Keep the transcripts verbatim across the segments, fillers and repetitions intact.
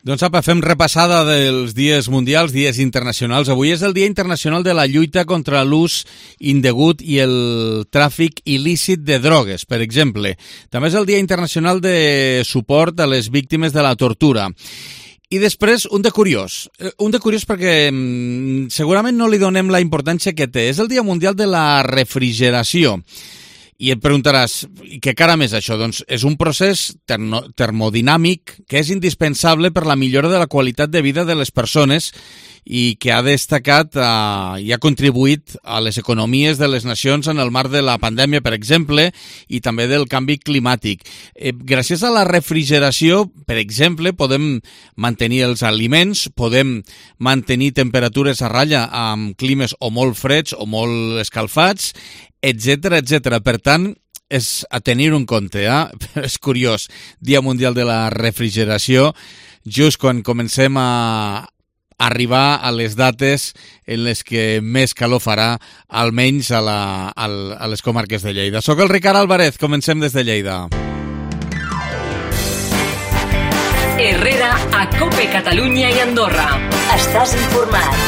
Doncs apa, fem repassada dels dies mundials, dies internacionals. Avui és el Dia Internacional de la lluita contra l'ús indegut i el tràfic il·lícit de drogues, per exemple. També és el Dia Internacional de suport a les víctimes de la tortura. I després, un de curiós. Un de curiós perquè mm, segurament no li donem la importància que té. És el Dia Mundial de la Refrigeració. I et preguntaràs, què caram és això? Doncs és un procés termo termodinàmic que és indispensable per la millora de la qualitat de vida de les persones i que ha destacat eh, i ha contribuït a les economies de les nacions en el marc de la pandèmia, per exemple, i també del canvi climàtic. Eh, gràcies a la refrigeració, per exemple, podem mantenir els aliments, podem mantenir temperatures a ratlla amb climes o molt freds o molt escalfats, etcètera, etcètera. Per tant, és a tenir en compte, eh? És curiós, Dia Mundial de la Refrigeració, just quan comencem a arribar a les dates en les que més calor farà, almenys a, la, a, a les comarques de Lleida. Soc el Ricard Álvarez, comencem des de Lleida. Herrera, a COPE Catalunya i Andorra. Estàs informat.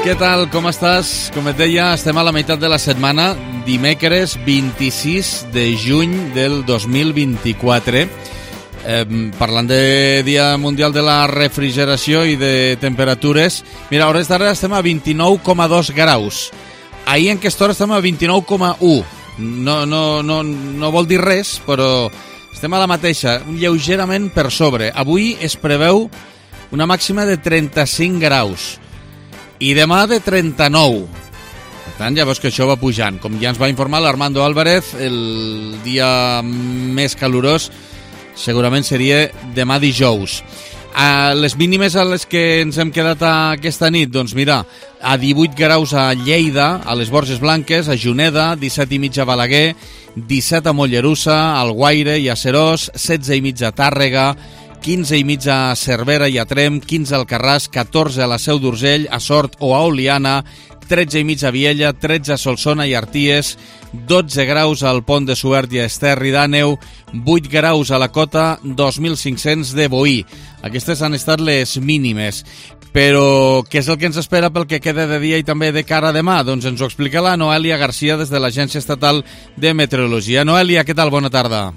Què tal, com estàs? Com et deia, estem a la meitat de la setmana, dimecres vint-i-sis de juny del dos mil vint-i-quatre. Eh, parlant de Dia Mundial de la Refrigeració i de temperatures, mira, a hores d'ara estem a vint-i-nou coma dos graus. Ahir en aquesta hora estem a vint-i-nou coma u. No, no, no, no vol dir res, però estem a la mateixa, lleugerament per sobre. Avui es preveu una màxima de trenta-cinc graus i demà de trenta-nou. Per tant, ja veus que això va pujant. Com ja ens va informar l'Armando Álvarez, el dia més calorós segurament seria demà dijous. A les mínimes a les que ens hem quedat aquesta nit, doncs mira, a divuit graus a Lleida, a les Borges Blanques, a Juneda, disset i mig a Balaguer, disset a Mollerussa, al Guaire i a Serós, setze i mig a Tàrrega, quinze i mig a Cervera i a Tremp, quinze al Carràs, catorze a la Seu d'Urgell, a Sort o a Oliana, tretze i mig a Viella, tretze a Solsona i Arties, dotze graus al Pont de Suert i a Esterri d'Àneu, vuit graus a la Cota, dos mil cinc-cents de Boí. Aquestes han estat les mínimes. Però què és el que ens espera pel que queda de dia i també de cara a demà? Doncs ens ho explica la Noelia Garcia des de l'Agència Estatal de Meteorologia. Noelia, què tal? Bona tarda.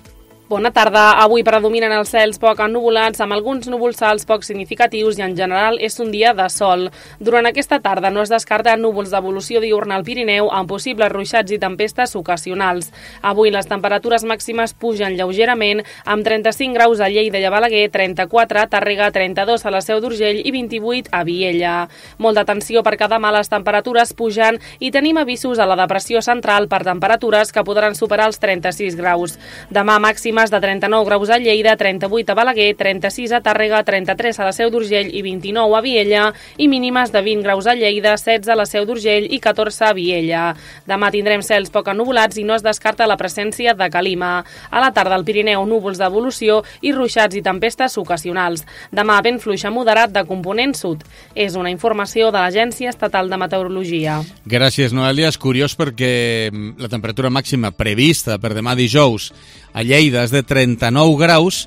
Bona tarda. Avui predominen els cels poc ennuvolats, amb alguns núvols alts poc significatius i en general és un dia de sol. Durant aquesta tarda no es descarta núvols d'evolució diurna al Pirineu amb possibles ruixats i tempestes ocasionals. Avui les temperatures màximes pugen lleugerament amb trenta-cinc graus a Lleida i a Balaguer, trenta-quatre a Tàrrega, trenta-dos a la Seu d'Urgell i vint-i-vuit a Viella. Molta atenció perquè demà les temperatures pugen i tenim avisos a la depressió central per temperatures que podran superar els trenta-sis graus. Demà màxim de trenta-nou graus a Lleida, trenta-vuit a Balaguer, trenta-sis a Tàrrega, trenta-tres a la Seu d'Urgell i vint-i-nou a Viella, i mínimes de vint graus a Lleida, setze a la Seu d'Urgell i catorze a Viella. Demà tindrem cels poc ennuvolats i no es descarta la presència de calima. A la tarda al Pirineu, núvols d'evolució i ruixats i tempestes ocasionals. Demà vent fluix a moderat de component sud. És una informació de l'Agència Estatal de Meteorologia. Gràcies, Noelia. És curiós perquè la temperatura màxima prevista per demà dijous a Lleida és de trenta-nou graus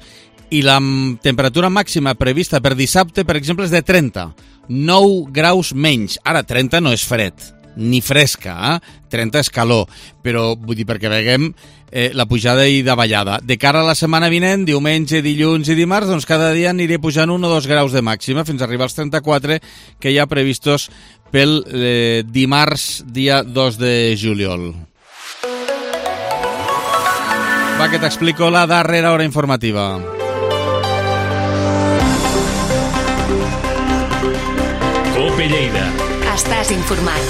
i la temperatura màxima prevista per dissabte, per exemple, és de trenta. nou graus menys. Ara, trenta no és fred, ni fresca, eh? trenta és calor, però vull dir perquè veiem eh, la pujada i davallada. De cara a la setmana vinent, diumenge, dilluns i dimarts, doncs cada dia aniré pujant un o dos graus de màxima fins a arribar als trenta-quatre que hi ha previstos pel eh, dimarts, dia dos de juliol. Va, que t'explico la darrera hora informativa. COPE Lleida. Estàs informat.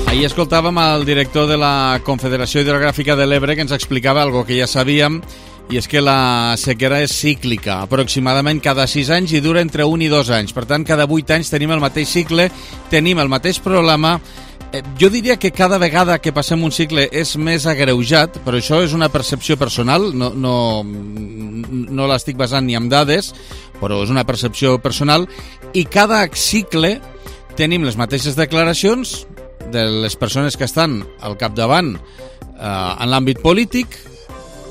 Ahir escoltàvem el director de la Confederació Hidrogràfica de l'Ebre que ens explicava algo que ja sabíem, i és que la sequera és cíclica, aproximadament cada sis anys i dura entre un i dos anys. Per tant, cada vuit anys tenim el mateix cicle, tenim el mateix problema. Jo diria que cada vegada que passem un cicle és més agreujat, però això és una percepció personal, no, no, no l'estic basant ni en dades, però és una percepció personal, i cada cicle tenim les mateixes declaracions de les persones que estan al capdavant en l'àmbit polític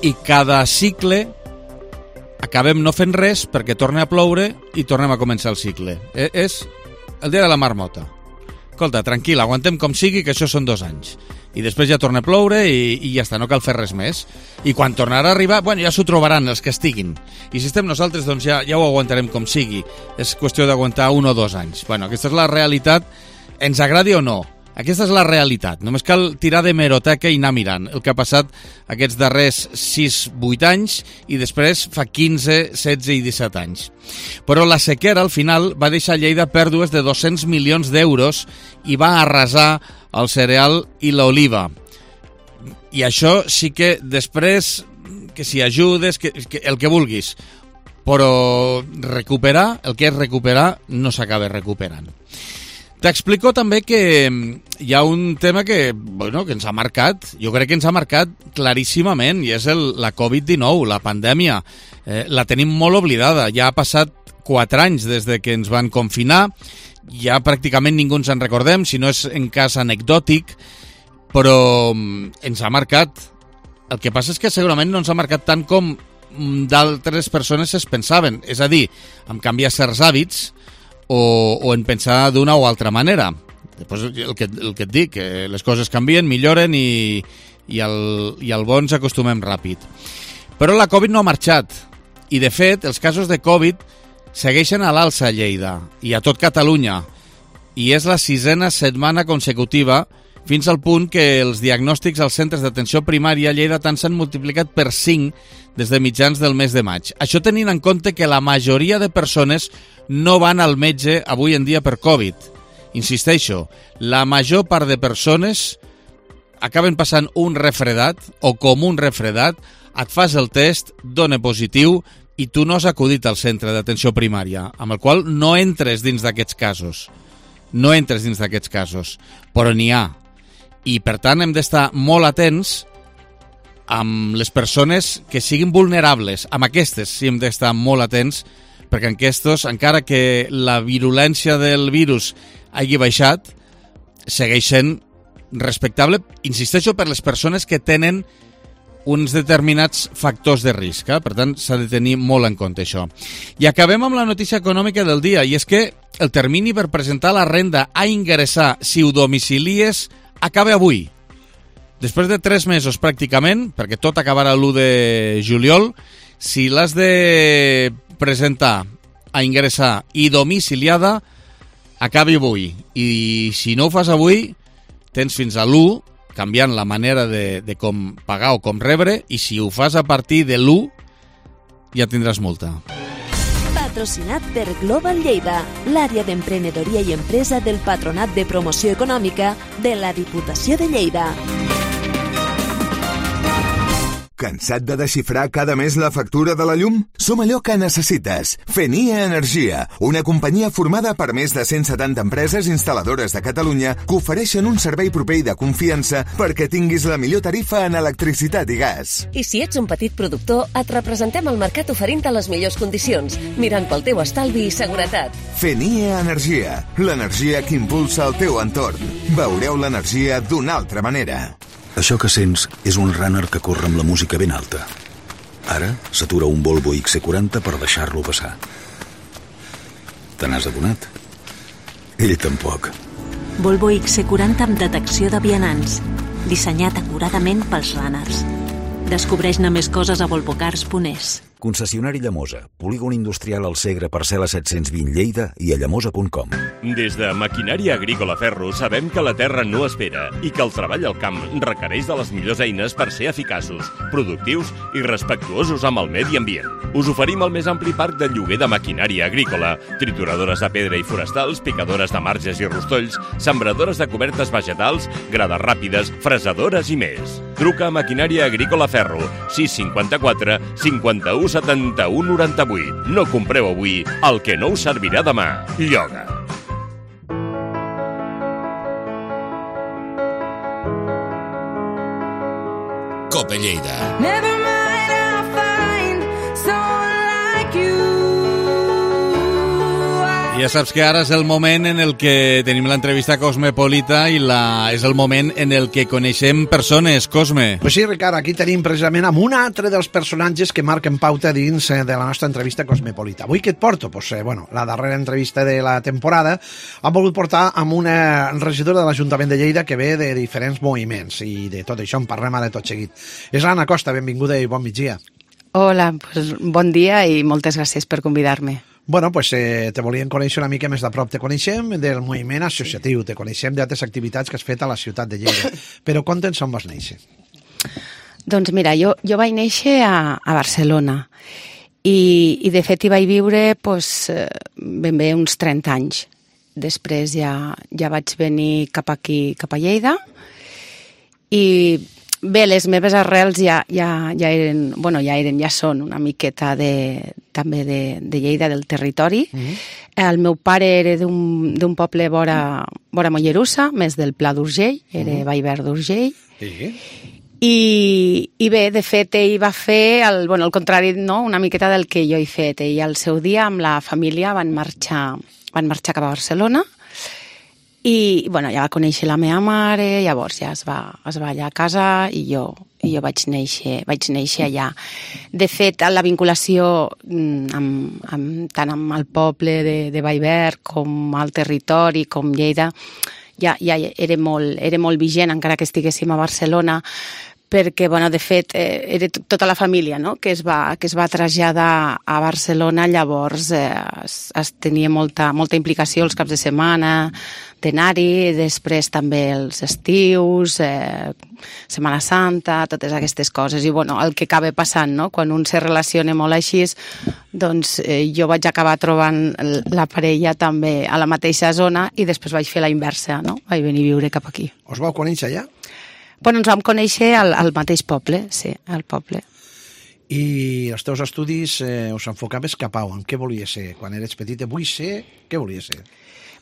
i cada cicle acabem no fent res perquè torna a ploure i tornem a començar el cicle. Eh, és el dia de la marmota. Escolta, tranquil, aguantem com sigui, que això són dos anys. I després ja torna a ploure i, i ja està, no cal fer res més. I quan tornarà a arribar, bueno, ja s'ho trobaran els que estiguin. I si estem nosaltres, doncs ja, ja ho aguantarem com sigui. És qüestió d'aguantar un o dos anys. Bueno, aquesta és la realitat, ens agradi o no. Aquesta és la realitat. Només cal tirar de meroteca i anar mirant el que ha passat aquests darrers sis vuit anys i després fa quinze, setze i disset anys. Però la sequera, al final, va deixar Lleida pèrdues de dos-cents milions d'euros i va arrasar el cereal i l'oliva. I això sí que després, que si ajudes, que, que el que vulguis, però recuperar, el que és recuperar, no s'acaba recuperant. T'explico també que hi ha un tema que, bueno, que ens ha marcat, jo crec que ens ha marcat claríssimament, i és el, la covid dinou, la pandèmia. Eh, la tenim molt oblidada, ja ha passat quatre anys des de que ens van confinar, ja pràcticament ningú ens en recordem, si no és en cas anecdòtic, però ens ha marcat. El que passa és que segurament no ens ha marcat tant com d'altres persones es pensaven, és a dir, en canviar certs hàbits, O, o en pensar d'una o altra manera. Després el que, el que et dic, que les coses canvien, milloren i, i, el, i al bon s'acostumem ràpid. Però la Covid no ha marxat i de fet els casos de Covid segueixen a l'alça a Lleida i a tot Catalunya i és la sisena setmana consecutiva fins al punt que els diagnòstics als centres d'atenció primària a Lleida tant s'han multiplicat per cinc des de mitjans del mes de maig. Això tenint en compte que la majoria de persones no van al metge avui en dia per Covid. Insisteixo, la major part de persones acaben passant un refredat o com un refredat, et fas el test, dona positiu i tu no has acudit al centre d'atenció primària, amb el qual no entres dins d'aquests casos. No entres dins d'aquests casos, però n'hi ha. I per tant hem d'estar molt atents amb les persones que siguin vulnerables. Amb aquestes sí hem d'estar molt atents, perquè en aquests, encara que la virulència del virus hagi baixat, segueix sent respectable, insisteixo, per les persones que tenen uns determinats factors de risc. Eh? Per tant, s'ha de tenir molt en compte això. I acabem amb la notícia econòmica del dia, i és que el termini per presentar la renda a ingressar si ho domicilies acaba avui. Després de tres mesos pràcticament, perquè tot acabarà l'u de juliol, si l'has de presentar a ingressar i domiciliada, acabi avui. I si no ho fas avui, tens fins a l'u, canviant la manera de, de com pagar o com rebre, i si ho fas a partir de l'u, ja tindràs multa. Patrocinat per Global Lleida, l'àrea d'emprenedoria i empresa del Patronat de Promoció Econòmica de la Diputació de Lleida. Cansat de desxifrar cada mes la factura de la llum? Som allò que necessites. Fenia Energia, una companyia formada per més de cent setanta empreses instal·ladores de Catalunya que ofereixen un servei proper i de confiança perquè tinguis la millor tarifa en electricitat i gas. I si ets un petit productor, et representem al mercat oferint-te les millors condicions, mirant pel teu estalvi i seguretat. Fenia Energia, l'energia que impulsa el teu entorn. Veureu l'energia d'una altra manera. Això que sents és un runner que corre amb la música ben alta. Ara s'atura un Volvo X C quaranta per deixar-lo passar. Te n'has adonat? Ell tampoc. Volvo X C quaranta amb detecció de vianants, dissenyat acuradament pels runners. Descobreix-ne més coses a volvocars punt es. Concessionari Llamosa, polígon industrial al Segre, parcel·la set-cents vint Lleida i a llamosa punt com. Des de Maquinària Agrícola Ferro sabem que la terra no espera i que el treball al camp requereix de les millors eines per ser eficaços, productius i respectuosos amb el medi ambient. Us oferim el més ampli parc de lloguer de maquinària agrícola, trituradores de pedra i forestals, picadores de marges i rostolls, sembradores de cobertes vegetals, grades ràpides, fresadores i més. Truca a Maquinària Agrícola Ferro, sis cinquanta-quatre cinquanta-u setanta-u noranta-vuit. No compreu avui el que no us servirà demà. Lloga. Cope Lleida. I ja saps que ara és el moment en el que tenim l'entrevista cosmopolita i la... és el moment en el que coneixem persones, Cosme. Pues sí, Ricard, aquí tenim precisament amb un altre dels personatges que marquen pauta dins de la nostra entrevista cosmopolita. Avui què et porto? Pues, eh, bueno, la darrera entrevista de la temporada han volgut portar amb una regidora de l'Ajuntament de Lleida que ve de diferents moviments i de tot això en parlem ara tot seguit. És l'Anna Costa, benvinguda i bon migdia. Hola, pues, bon dia i moltes gràcies per convidar-me. Bueno, pues eh, te volíem conèixer una mica més de prop. Te coneixem del moviment associatiu, te coneixem d'altres activitats que has fet a la ciutat de Lleida, però conta'ns on vas néixer. Doncs mira, jo, jo vaig néixer a, a Barcelona i, i de fet hi vaig viure pues, ben bé uns trenta anys. Després ja, ja vaig venir cap aquí, cap a Lleida i bé, les meves arrels ja, ja, ja eren, bueno, ja eren, ja són una miqueta de, també de, de Lleida, del territori. Mm-hmm. El meu pare era d'un poble vora, vora Mollerussa, més del Pla d'Urgell, era mm-hmm. Vallverd d'Urgell. Sí. I, I bé, de fet, ell va fer el, bueno, el contrari, no?, una miqueta del que jo he fet. Ell al seu dia amb la família van marxar, van marxar cap a Barcelona. I, bueno, ja va conèixer la meva mare, llavors ja es va, es va allà a casa i jo, i jo vaig néixer, vaig néixer allà. De fet, la vinculació amb, amb, tant amb el poble de, de Vallverd com al territori, com Lleida, ja, ja era, molt, era molt vigent, encara que estiguéssim a Barcelona, perquè, bueno, de fet, eh, era tota la família, no?, que es va, que es va traslladar a Barcelona, llavors eh, es, es tenia molta, molta implicació els caps de setmana, d'anar-hi, després també els estius, eh, Setmana Santa, totes aquestes coses. I, bueno, el que acaba passant, no?, quan un se relaciona molt així, doncs eh, jo vaig acabar trobant la parella també a la mateixa zona i després vaig fer la inversa, no?, vaig venir a viure cap aquí. Us vau conèixer allà? Bueno, ens vam conèixer al, al mateix poble, sí, al poble. I els teus estudis eh, us enfocaves cap a on? Què volies ser? Quan eres petita, vull ser... Què volies ser?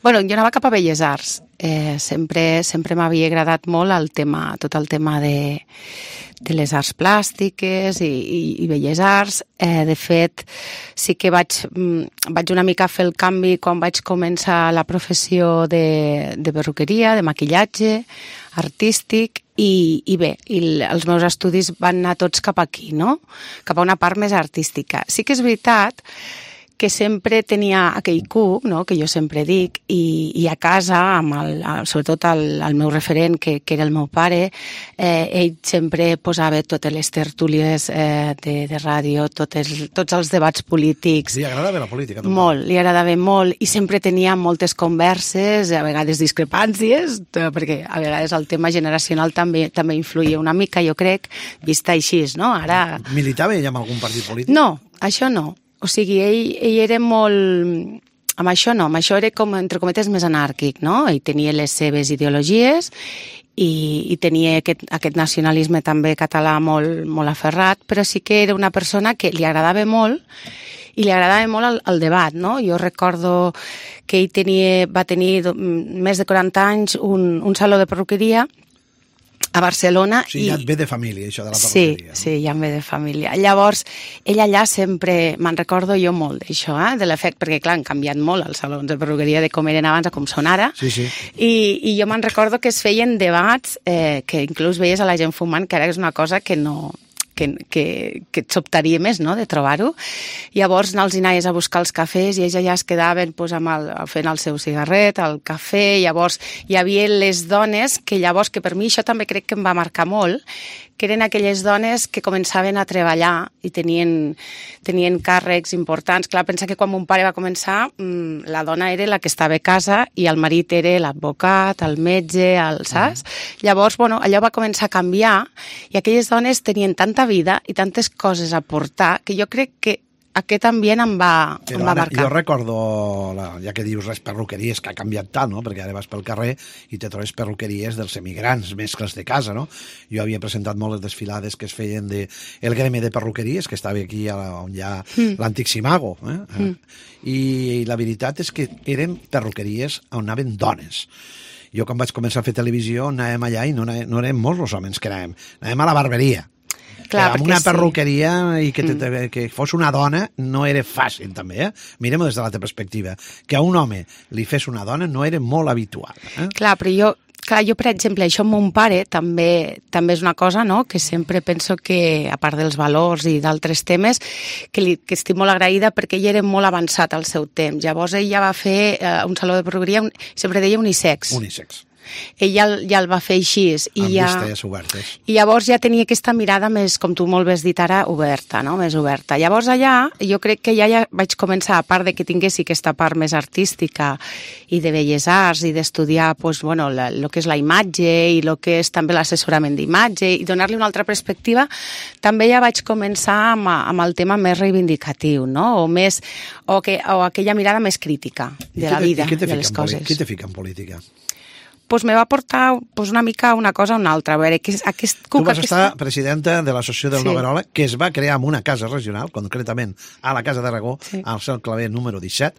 Bueno, jo anava cap a Belles Arts. Eh, sempre sempre m'havia agradat molt el tema, tot el tema de, de les arts plàstiques i, i, i Belles Arts. Eh, de fet, sí que vaig, vaig una mica fer el canvi quan vaig començar la professió de, de perruqueria, de maquillatge artístic, i, i bé, i els meus estudis van anar tots cap aquí, no?, cap a una part més artística. Sí que és veritat que sempre tenia aquell cuc, no?, que jo sempre dic, i, i a casa, amb el, sobretot el, el meu referent, que, que era el meu pare, eh, ell sempre posava totes les tertúlies eh, de, de ràdio, totes, tots els debats polítics. Li agradava la política? També. Molt, li agradava molt, i sempre tenia moltes converses, a vegades discrepàncies, perquè a vegades el tema generacional també també influïa una mica, jo crec, vista així, no? Ara... Militava ell amb algun partit polític? No, això no. O sigui, ell, ell era molt... Amb això no, amb això era com, entre cometes, més anàrquic, no? Ell tenia les seves ideologies i, i tenia aquest, aquest nacionalisme també català molt, molt aferrat, però sí que era una persona que li agradava molt i li agradava molt el, el debat, no? Jo recordo que ell tenia, va tenir més de quaranta anys un, un saló de perruqueria a Barcelona. Sí, ja et ve de família, això de la Sí, perruqueria. sí, ja em ve de família. Llavors, ell allà sempre, me'n recordo jo molt d'això, eh, de l'efecte, perquè clar, han canviat molt els salons de perruqueria de com eren abans a com són ara. Sí, sí. I, i jo me'n recordo que es feien debats eh, que inclús veies a la gent fumant, que ara és una cosa que no... que, que, que et sobtaria més, no?, de trobar-ho. Llavors els anaves a buscar els cafès i ells allà es quedaven pues, amb el, fent el seu cigarret, el cafè. Llavors hi havia les dones que llavors, que per mi això també crec que em va marcar molt, que eren aquelles dones que començaven a treballar i tenien, tenien càrrecs importants. Clar, pensa que quan mon pare va començar, mmm, la dona era la que estava a casa i el marit era l'advocat, el metge, el saps? Mm. Llavors, bueno, allò va començar a canviar i aquelles dones tenien tanta vida i tantes coses a portar que jo crec que aquest ambient em va, em va ara, marcar. Jo recordo, la, ja que dius les perruqueries, que ha canviat tant, no?, perquè ara vas pel carrer i te trobes perruqueries dels emigrants, mescles de casa, no? Jo havia presentat molt les desfilades que es feien de el gremi de perruqueries, que estava aquí on hi ha mm. l'antic Simago, eh? Mm. I, I la veritat és que eren perruqueries on anaven dones. Jo quan vaig començar a fer televisió anàvem allà i no, no érem molts els homes que anàvem, anàvem a la barberia. Clar, amb una sí. perruqueria i que, te, mm. que fos una dona no era fàcil, també, eh? Mirem-ho des de l'altra perspectiva. Que a un home li fes una dona no era molt habitual. Eh? Clar, però jo, clar, jo, per exemple, això amb mon pare també també és una cosa, no?, que sempre penso que, a part dels valors i d'altres temes, que, li, que estic molt agraïda perquè ell era molt avançat al seu temps. Llavors ell ja va fer eh, un saló de perruqueria, un, sempre deia unisex. Unisex. Ell ja, ja el va fer així. I amb ja, vistes obertes. I llavors ja tenia aquesta mirada més, com tu molt bé has dit ara, oberta, no?, més oberta. Llavors allà, jo crec que ja, ja vaig començar, a part de que tinguessi aquesta part més artística i de belles arts i d'estudiar, pues, bueno, el que és la imatge i el que és també l'assessorament d'imatge i donar-li una altra perspectiva, també ja vaig començar amb, amb el tema més reivindicatiu, no?, o, més, o, que, o aquella mirada més crítica de la vida, de les coses. Qui te fica en política? Pues me va portar pues, una mica una cosa o una altra. A veure, que aquest tu vas aquesta... estar presidenta de l'Associació del sí. Noguerola, que es va crear en una casa regional, concretament a la Casa d'Aragó, sí. al Cel Claver número disset,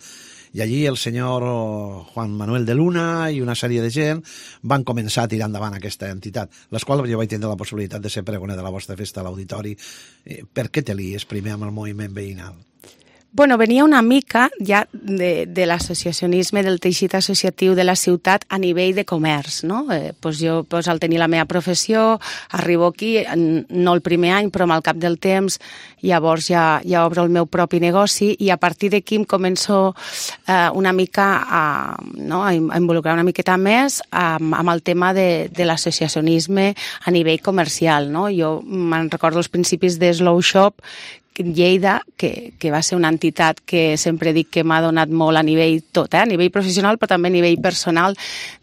i allí el senyor Juan Manuel de Luna i una sèrie de gent van començar a tirar endavant aquesta entitat, les quals jo vaig tindre la possibilitat de ser pregoner de la vostra festa a l'auditori. Eh, per què te lies primer amb el moviment veïnal? Bueno, venia una mica ja de, de l'associacionisme, del teixit associatiu de la ciutat a nivell de comerç, no? Eh, pues jo, pues, al tenir la meva professió, arribo aquí, no el primer any, però amb el cap del temps, llavors ja, ja obro el meu propi negoci i a partir d'aquí em començo eh, una mica a, no, a involucrar una miqueta més amb, amb el tema de, de l'associacionisme a nivell comercial, no? Jo me'n recordo els principis de Slow Shop, Lleida, que, que va ser una entitat que sempre dic que m'ha donat molt a nivell tot, eh? A nivell professional però també a nivell personal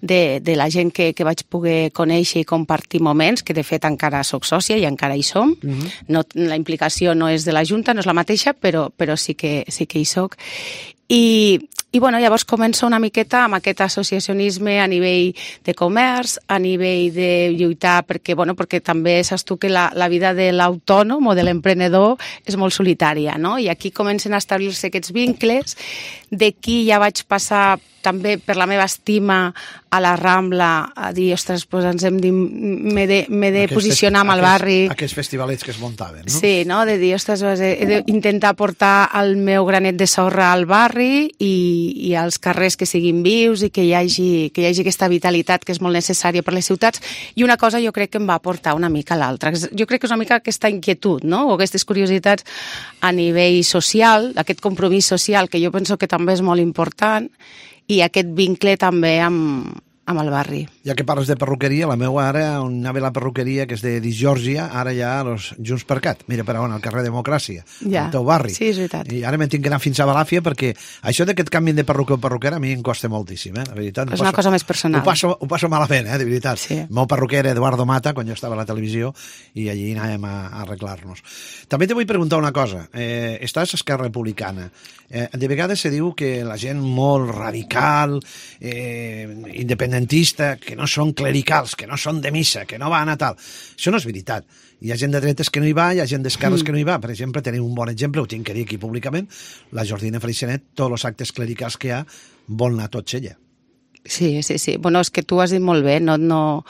de, de la gent que, que vaig poder conèixer i compartir moments, que de fet encara soc sòcia i encara hi som. Mm-hmm. No, la implicació no és de la Junta, no és la mateixa, però, però sí, que, sí que hi soc. I, i bueno, llavors començo una miqueta amb aquest associacionisme a nivell de comerç, a nivell de lluitar, perquè, bueno, perquè també saps tu que la, la vida de l'autònom o de l'emprenedor és molt solitària, no? I aquí comencen a establir-se aquests vincles. D'aquí ja vaig passar també per la meva estima a la Rambla a dir, ostres, pues ens hem de, m'he de, m'he de posicionar amb el barri. Aquests festivalets que es muntaven, no? Sí, no? De dir, ostres, he d'intentar portar el meu granet de sorra al barri i, i als carrers que siguin vius i que hi hagi, que hi hagi aquesta vitalitat que és molt necessària per les ciutats. I una cosa jo crec que em va portar una mica a l'altra. Jo crec que és una mica aquesta inquietud, no? O aquestes curiositats a nivell social, aquest compromís social que jo penso que també és molt important, i aquest vincle també amb, amb el barri. Ja que parles de perruqueria, la meva ara, on anava la perruqueria, que és de Disjòrgia, ara ja los Junts per Cat. Mira per on, al carrer Democràcia, ja. al teu barri. Sí, és veritat. I ara m'he tinc que anar fins a Balàfia perquè això d'aquest canvi de perruquer o perruquera a mi em costa moltíssim, eh? De veritat. És una passo, cosa més personal. Ho passo, ho passo malament, eh? De veritat. Sí. El meu perruquer era Eduardo Mata, quan jo estava a la televisió, i allí anàvem a, a arreglar-nos. També te vull preguntar una cosa. Eh, estàs a Esquerra Republicana. Eh, de vegades se diu que la gent molt radical, eh, independentista, que no són clericals, que no són de missa, que no van a tal. Això no és veritat. Hi ha gent de dretes que no hi va, hi ha gent d'esquerres mm. que no hi va. Per exemple, tenim un bon exemple, ho tinc que dir aquí públicament, la Jordina Freixenet, tots els actes clericals que hi ha, vol anar tots ella. Sí, sí, sí. Bueno, és que tu has dit molt bé, no... no...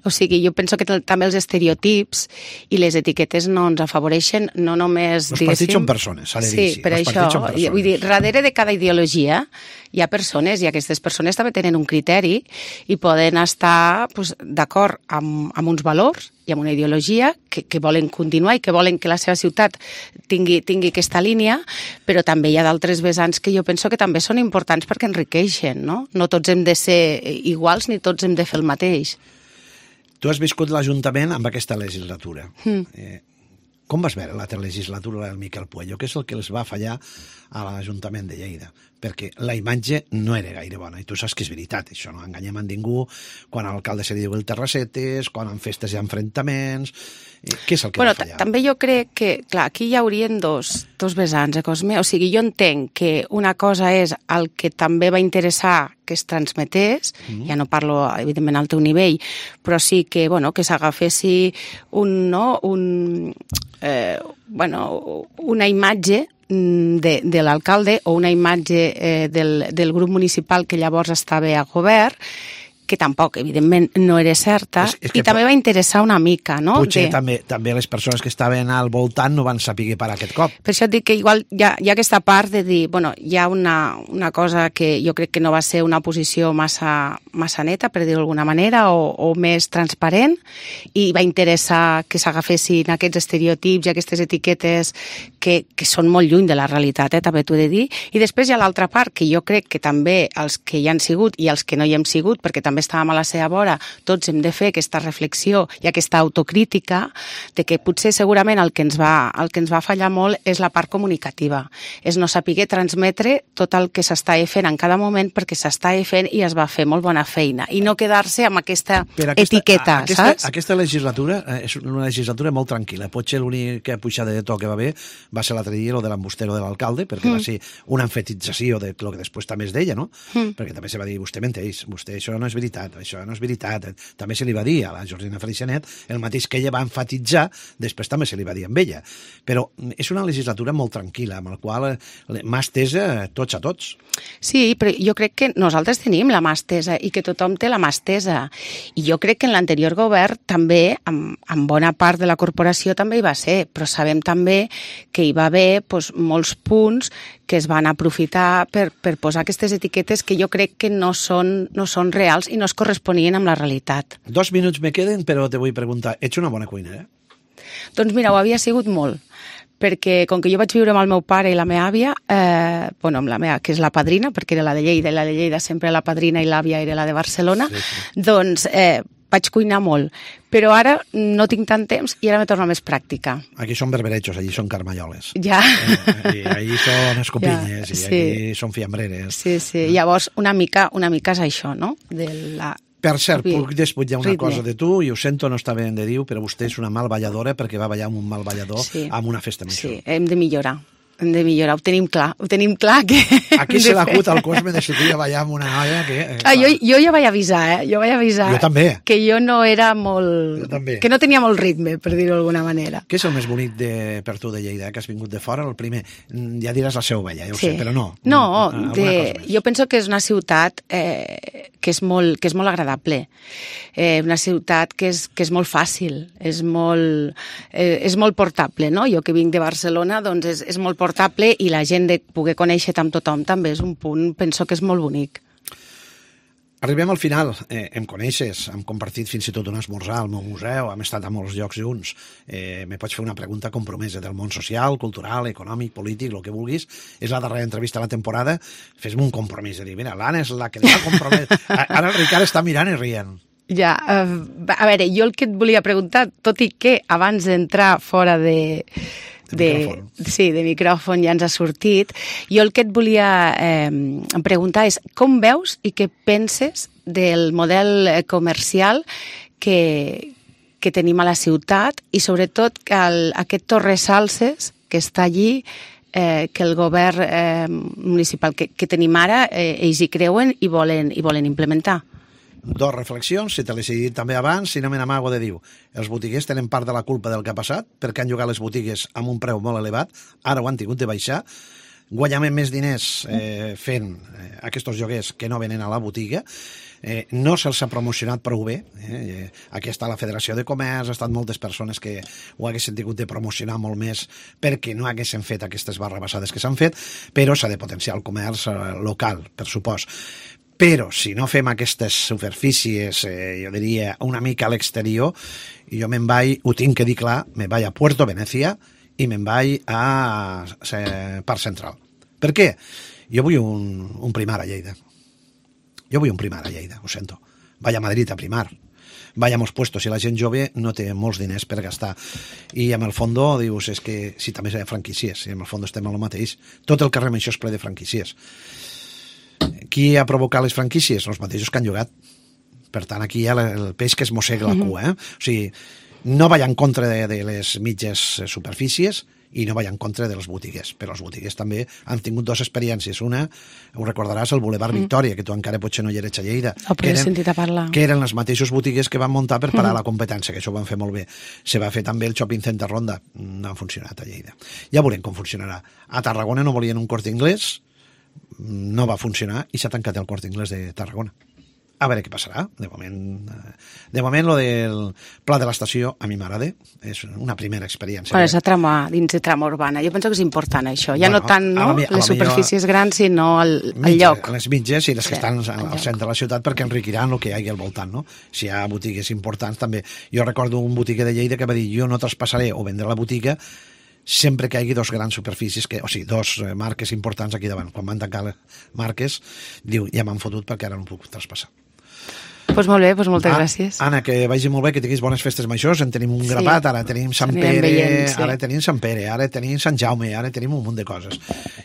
O sigui, jo penso que també els estereotips i les etiquetes no ens afavoreixen, no només, els diguéssim... partits són persones, s'ha de dir. Sí, per els això, vull dir, darrere de cada ideologia hi ha persones i aquestes persones també tenen un criteri i poden estar pues, d'acord amb, amb uns valors i amb una ideologia que, que volen continuar i que volen que la seva ciutat tingui, tingui aquesta línia, però també hi ha d'altres vessants que jo penso que també són importants perquè enriqueixen, no? No tots hem de ser iguals ni tots hem de fer el mateix. Tu has viscut l'Ajuntament amb aquesta legislatura. Mm. Eh, com vas veure l'altra legislatura del Miquel Puello? Què és el que els va fallar a l'Ajuntament de Lleida? Perquè la imatge no era gaire bona, i tu saps que és veritat, això no enganyem a ningú, quan l'alcalde se li diu el Terrassetes, quan en festes hi ha enfrontaments... Què és el que bueno, va fallar? També jo crec que, clar, aquí hi haurien dos, dos vessants, eh, Cosme? O sigui, jo entenc que una cosa és el que també va interessar que es transmetés, mm. ja no parlo, evidentment, al teu nivell, però sí que, bueno, que s'agafessi un, no, un, eh, bueno, una imatge de, de l'alcalde o una imatge eh, del, del grup municipal que llavors estava a govern que tampoc, evidentment, no era certa, és, és i també va interessar una mica, no? Potser de... també, també les persones que estaven al voltant no van saber per aquest cop. Per això et dic que igual hi ha, hi ha aquesta part de dir, bueno, hi ha una, una cosa que jo crec que no va ser una posició massa, massa neta, per dir-ho d'alguna manera, o, o més transparent, i va interessar que s'agafessin aquests estereotips i aquestes etiquetes que, que són molt lluny de la realitat, eh, també t'ho he de dir. I després hi ha l'altra part, que jo crec que també els que hi han sigut i els que no hi hem sigut, perquè també estàvem a la seva vora, tots hem de fer aquesta reflexió i aquesta autocrítica de que potser segurament el que ens va, el que ens va fallar molt és la part comunicativa, és no saber transmetre tot el que s'està fent en cada moment, perquè s'està fent i es va fer molt bona feina, i no quedar-se amb aquesta, aquesta etiqueta, aquesta, saps? Aquesta legislatura és una legislatura molt tranquil·la. Potser l'única pujada de to que va haver va ser l'altre dia, el de l'embustero de l'alcalde, perquè mm. va ser una emfetització de lo que després també es deia, no? Mm. Perquè també se va dir, vostè menteix, vostè això no és veritat, això no és veritat. També se li va dir a la Jordina Freixanet el mateix que ella va enfatitzar, després també se li va dir amb ella. Però és una legislatura molt tranquil·la, amb la qual mà estesa tots a tots. Sí, però jo crec que nosaltres tenim la mà estesa i que tothom té la mà estesa. I jo crec que en l'anterior govern també, amb, amb bona part de la corporació també hi va ser, però sabem també que hi va haver doncs, molts punts que es van aprofitar per, per posar aquestes etiquetes que jo crec que no són, no són reals i no es corresponien amb la realitat. Dos minuts me queden, però te vull preguntar, ets una bona cuinera? Doncs mira, ho havia sigut molt, perquè com que jo vaig viure amb el meu pare i la meva àvia, eh, bueno, amb la meva, que és la padrina, perquè era la de Lleida, i la de Lleida sempre la padrina i l'àvia era la de Barcelona, sí, sí. doncs eh, vaig cuinar molt. Però ara no tinc tant temps i ara me torna més pràctica. Aquí són berberechos, allí són carmalloles. Ja. Eh, allí són escopinyes, ja, sí. I aquí són fiambreres. Sí, sí. Eh? Llavors, una mica, una mica és això, no? De la... Per cert, puc desputllar una ritme. cosa de tu, i ho sento, no està ben de dir, però vostè és una mal balladora perquè va ballar amb un mal ballador sí. amb una festa major. Sí, hem de millorar. Hem de millorar, ho tenim clar, ho tenim clar que... Aquí se l'acut al Cosme de sortir a ballar amb una noia que... Eh, ah, jo, jo ja vaig avisar, eh? Jo vaig avisar... Jo també. Que jo no era molt... Jo també. Que no tenia molt ritme, per dir-ho d'alguna manera. Què és el més bonic de, per tu de Lleida, que has vingut de fora? El primer, ja diràs la seu vella, ja ho sí. sé, però no. No, de, jo penso que és una ciutat eh, que, és molt, que és molt agradable. Eh, una ciutat que és, que és molt fàcil, és molt, eh, és molt portable, no? Jo que vinc de Barcelona, doncs és, és molt portable i la gent de poder conèixer-te amb tothom també és un punt, penso que és molt bonic. Arribem al final, eh, em coneixes, hem compartit fins i tot un esmorzar al meu museu, hem estat a molts llocs junts, eh, me pots fer una pregunta compromesa del món social, cultural, econòmic, polític, el que vulguis, és la darrera entrevista de la temporada, fes-me un compromís de dir, mira, l'Anna és la que li va comprometre, ara el Ricard està mirant i rient. Ja, uh, a veure, jo el que et volia preguntar, tot i que abans d'entrar fora de... De, de, sí, de micròfon ja ens ha sortit. Jo el que et volia eh, preguntar és com veus i què penses del model comercial que, que tenim a la ciutat i sobretot que el, aquest Torresalses que està allí, eh, que el govern eh, municipal que, que tenim ara, eh, ells hi creuen i volen, i volen implementar. Dos reflexions, si te les he dit també abans, si no me n'amago de dir. Els botiguers tenen part de la culpa del que ha passat, perquè han llogat les botigues amb un preu molt elevat, ara ho han tingut de baixar, guanyem més diners eh, fent eh, aquests lloguers que no venen a la botiga, eh, no se'ls ha promocionat prou bé, eh, aquí està la Federació de Comerç, ha estat moltes persones que ho haguessin tingut de promocionar molt més perquè no haguessin fet aquestes barrabassades que s'han fet, però s'ha de potenciar el comerç eh, local, per supost. Però si no fem aquestes superfícies, eh, jo diria, una mica a l'exterior, jo me'n vaig, ho tinc que dir clar, me'n vaig a Puerto Venecia i me'n vaig a, a Parc Central. Per què? Jo vull un, un primar a Lleida. Jo vull un primar a Lleida, ho sento. Vaig a Madrid a primar. Vaig a molts puestos, si la gent jove no té molts diners per gastar. I amb el fondo dius, és que si també hi ha franquícies, i amb el fondo estem al mateix. Tot el carrer això és ple de franquícies. Qui ha provocat les franquícies? Els mateixos que han llogat. Per tant, aquí hi ha el peix que es mossega la cua. Eh? O sigui, no vaig en contra de, de les mitges superfícies i no vaig en contra de les botigues. Però els botigues també han tingut dues experiències. Una, ho recordaràs, el Boulevard mm. Victòria, que tu encara potser no hi eres a Lleida. Oh, però he sentit a parlar. Que eren les mateixos botigues que van muntar per parar mm. la competència, que això ho van fer molt bé. Se va fer també el Shopping Center Ronda. No ha funcionat a Lleida. Ja veurem com funcionarà. A Tarragona no volien un Corte Inglés, no va funcionar i s'ha tancat el Corte Inglés de Tarragona. a veure què passarà. De moment, de moment lo del pla de l'estació a mi m'agrada, és una primera experiència. Bueno, és a trama, dins de trama urbana. Jo penso que és important això, ja bueno, no tant no, mi, les superfícies millor, grans, sinó el, el mitja, lloc. Les mitges i les sí, que estan al, al centre de la ciutat perquè enriquiran el que hi hagi al voltant, no? Si hi ha botigues importants també. Jo recordo un botiga de Lleida que va dir jo no traspassaré o vendré la botiga sempre que hi hagi dos grans superfícies, que, o sigui, dos marques importants aquí davant. Quan van tancar les marques, diu, ja m'han fotut perquè ara no puc traspassar. Doncs pues molt bé, pues moltes ah, gràcies. Anna, que vagi molt bé, que tinguis bones festes majors, en tenim un sí. grapat, ara tenim Sant Pere, veient, sí. ara tenim Sant Pere, ara tenim Sant Jaume, ara tenim un munt de coses.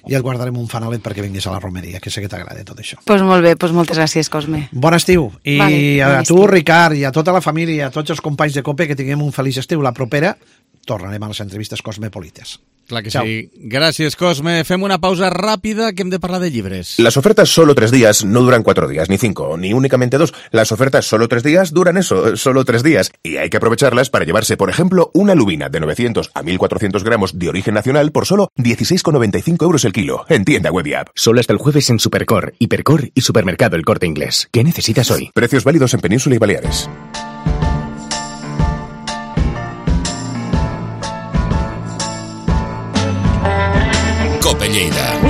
I et guardarem un fanalet perquè vinguis a la romeria, que sé que t'agrada tot això. Doncs pues molt bé, pues moltes gràcies, Cosme. Bon estiu. I vale, a bon tu, estiu. Ricard, i a tota la família, a tots els companys de COPE, que tinguem un feliç estiu. La propera tornarem a les entrevistes cosmopolites. Claro que Chao. Sí. Gracias, Cosme. Fem una pausa rápida que hem de parlar de llibres. Las ofertas solo tres días no duran cuatro días, ni cinco, ni únicamente dos. Las ofertas solo tres días duran eso, solo tres días. Y hay que aprovecharlas para llevarse, por ejemplo, una lubina de novecientos a mil cuatrocientos gramos de origen nacional por solo dieciséis con noventa y cinco euros el kilo. En tienda web y app. Solo hasta el jueves en Supercor, Hipercor y Supermercado El Corte Inglés. ¿Qué necesitas hoy? Precios válidos en Península y Baleares. Cope Lleida.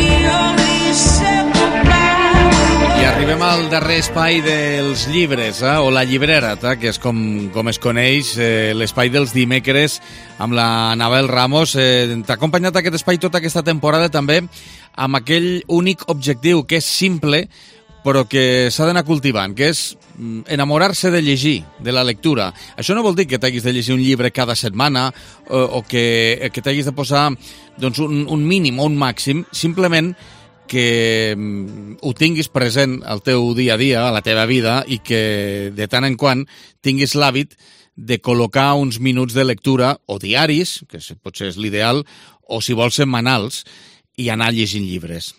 I arribem al darrer espai dels llibres, eh? o la llibrera, eh? que és com, com es coneix, eh, l'espai dels dimecres amb la Anabel Ramos. Eh, T'ha acompanyat aquest espai tota aquesta temporada també amb aquell únic objectiu, que és simple, però que s'ha d'anar cultivant, que és enamorar-se de llegir, de la lectura. Això no vol dir que t'hagis de llegir un llibre cada setmana o, o que, que t'hagis de posar doncs, un, un mínim o un màxim, simplement que ho tinguis present al teu dia a dia, a la teva vida, i que de tant en quant tinguis l'hàbit de col·locar uns minuts de lectura, o diaris, que potser és l'ideal, o si vols setmanals, i anar llegint llibres.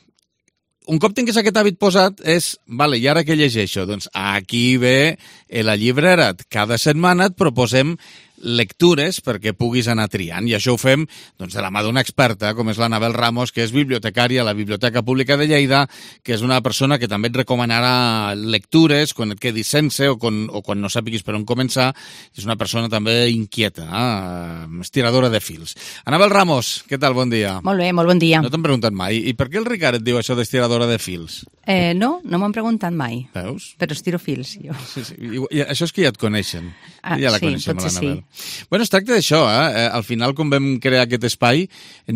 Un cop tinguis aquest hàbit posat és, vale, i ara què llegeixo? Doncs aquí ve la llibrera. Cada setmana et proposem lectures perquè puguis anar triant, i això ho fem doncs, de la mà d'una experta, com és l'Anabel Ramos, que és bibliotecària a la Biblioteca Pública de Lleida, que és una persona que també et recomanarà lectures quan et quedis sense o quan, o quan no sàpiguis per on començar. És una persona també inquieta, eh? estiradora de fils. Anabel Ramos, què tal? Bon dia. Molt bé, molt bon dia. No t'han preguntat mai. I per què el Ricard et diu això d'estiradora de fils? Eh, no, no m'han preguntat mai. Veus? Però estiro fils, jo. Sí, sí. I, i això és que ja et coneixen. Ah, ja la sí, coneixem, l'Anabel. Sí. Bueno, es tracta d'això, eh? Al final, quan vam crear aquest espai,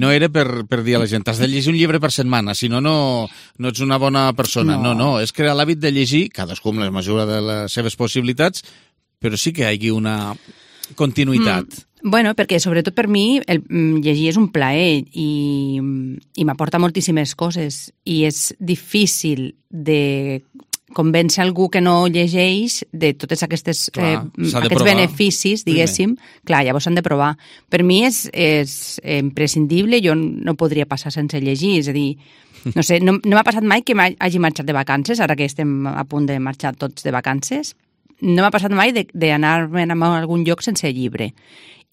no era per, per dir a la gent has de llegir un llibre per setmana, si no, no, no ets una bona persona. No, no, no és crear l'hàbit de llegir, cadascú amb la mesura de les seves possibilitats, però sí que hi hagi una continuïtat. Mm. Bueno, perquè sobretot per mi el llegir és un plaer i, i m'aporta moltíssimes coses i és difícil de convèncer algú que no llegeix de tots aquestes, clar, eh, aquests beneficis, diguéssim. Primer. Clar, llavors s'han de provar. Per mi és, és imprescindible, jo no podria passar sense llegir, és a dir, no sé, no, no m'ha passat mai que hagi marxat de vacances, ara que estem a punt de marxar tots de vacances, no m'ha passat mai d'anar-me'n a algun lloc sense llibre.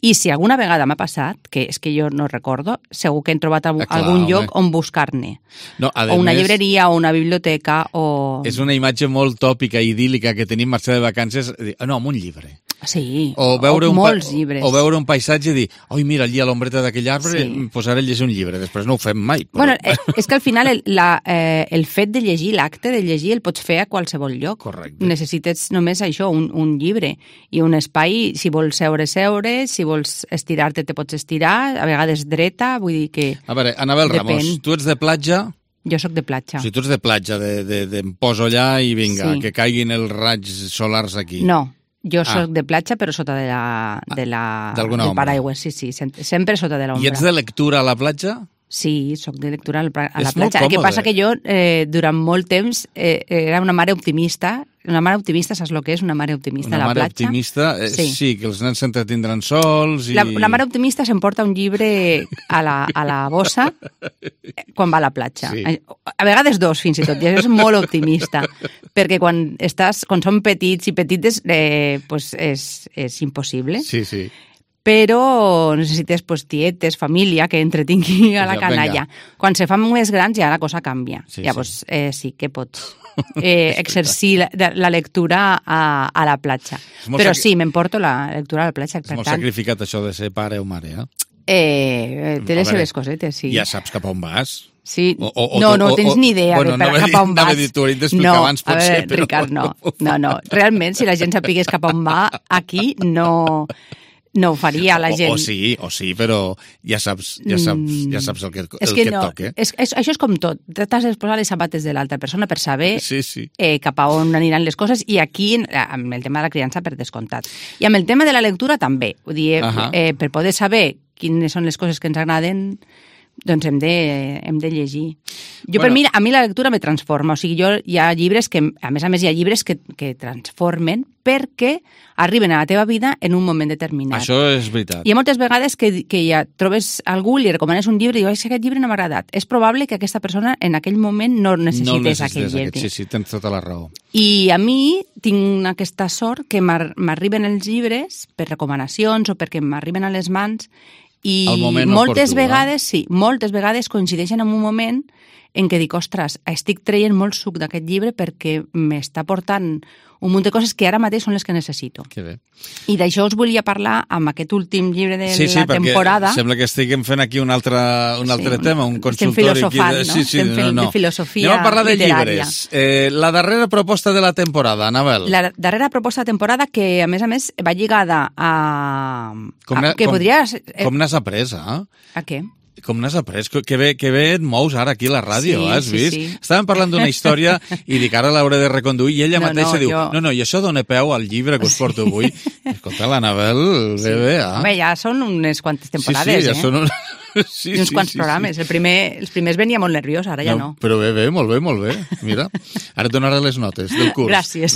I si alguna vegada m'ha passat, que és que jo no recordo, segur que hem trobat algun ah, clar, lloc home. on buscar-ne. No, o una més, llibreria, o una biblioteca, o... És una imatge molt tòpica i idíl·lica que tenim marxar de vacances. No, amb un llibre. Sí, o, veure o un molts pa... llibres. O veure un paisatge i dir, oi, mira, allí a l'ombreta d'aquell arbre, sí. posaré a llegir un llibre. Després no ho fem mai. Però... Bueno, és que al final el, la, eh, el fet de llegir, l'acte de llegir, el pots fer a qualsevol lloc. Correcte. Necessites només això, un, un llibre. I un espai, si vols seure, seure, si vols estirar-te, te pots estirar, a vegades dreta, vull dir que... A veure, Anabel depèn. Ramos, tu ets de platja... Jo sóc de platja. O sigui, tu ets de platja, de, de, de em poso allà i vinga, sí. que caiguin els raigs solars aquí. No, jo soc ah. de platja, però sota de la, de la, del paraigües, sí, sí, sempre sota de l'ombra. I ets de lectura a la platja? Sí, soc de lectura a la és platja. El que passa que jo, eh, durant molt temps, eh, era una mare optimista. Una mare optimista, saps el que és una mare optimista una a la platja? Una mare optimista, eh, sí. sí, que els nens s'entretindran sols i... La, la mare optimista s'emporta un llibre a la, a la bossa quan va a la platja. Sí. A vegades dos, fins i tot, i és molt optimista, perquè quan estàs, quan són petits i petites, eh, pues és, és impossible. Sí, sí. però necessites pues, tietes, família, que entretingui a la Ja, canalla. venga. Quan se fan més grans ja la cosa canvia. Sí, Llavors sí, eh, sí que pots eh, exercir la, la lectura a, a la platja. Però sacri- sí, m'emporto la lectura a la platja. És Per molt tant, sacrificat això de ser pare o mare, eh? eh, té les A veure, seves cosetes, sí. Ja saps cap a on vas. Sí. O, o, o, no, no o, tens o, ni idea bueno, de per no cap a on anava vas. a dir, t'ho hauríem d'explicar no, abans, a potser, veure, però... Ricard, no. No, no. Realment, si la gent sapigués cap a on va, aquí no, no ho faria la gent. O, o sí, o sí, però ja saps, ja saps, ja saps el que, el és que, que et no, toca. És, és, això és com tot. T'has de posar les sabates de l'altra persona per saber Sí, sí. eh, cap a on aniran les coses, i aquí amb el tema de la criança per descomptat. I amb el tema de la lectura també. Vull dir, Ahà. eh, per poder saber quines són les coses que ens agraden, doncs hem de, hem de llegir. Jo, Bueno. per mi, a mi la lectura me transforma. O sigui, jo, hi ha llibres que, a més a més, hi ha llibres que, que transformen perquè arriben a la teva vida en un moment determinat. Això és veritat. Hi ha moltes vegades que, que ja trobes algú, li recomanes un llibre i dius, aquest llibre no m'ha agradat. És probable que aquesta persona en aquell moment no necessités, no el necessites, aquell llibre. aquest, sí, sí, tens tota la raó. I a mi tinc aquesta sort que m'ar- m'arriben els llibres per recomanacions o perquè m'arriben a les mans, i Al moment moltes oportú, vegades, sí, moltes vegades coincideixen en un moment en què dic, ostres, estic traient molt suc d'aquest llibre perquè m'està portant un munt de coses que ara mateix són les que necessito. Que bé. I d'això us volia parlar amb aquest últim llibre de Sí, sí, la perquè temporada. sembla que estiguem fent aquí un altre, un altre Sí, tema, un estem consultori. filosofant, aquí de... no? Sí, sí, Estem fent no, no. de filosofia Anem a parlar de literària. llibres. Eh, la darrera proposta de la temporada, Anabel. La darrera proposta de temporada que, a més a més, va lligada a... Com a n'ha- que com- podria... ser- eh, Com n'has après, eh? A què? Com n'has après? Que bé, que bé et mous ara aquí a la ràdio, Sí, has sí, vist? sí. Estàvem parlant d'una història i dic, ara l'hauré de reconduir, i ella No, mateixa no, diu, jo- no, no, i això dona peu al llibre que us porto avui. Escolta, l'Anabel, bé, bé, eh? Home, ja són unes quantes temporades, sí, sí, ja eh? són un... sí, I uns sí, quants sí, programes. Sí. El primer, els primers venia molt nerviós, ara ja no. Però bé, bé, molt bé, molt bé. Mira, ara et donaré les notes del curs. Gràcies.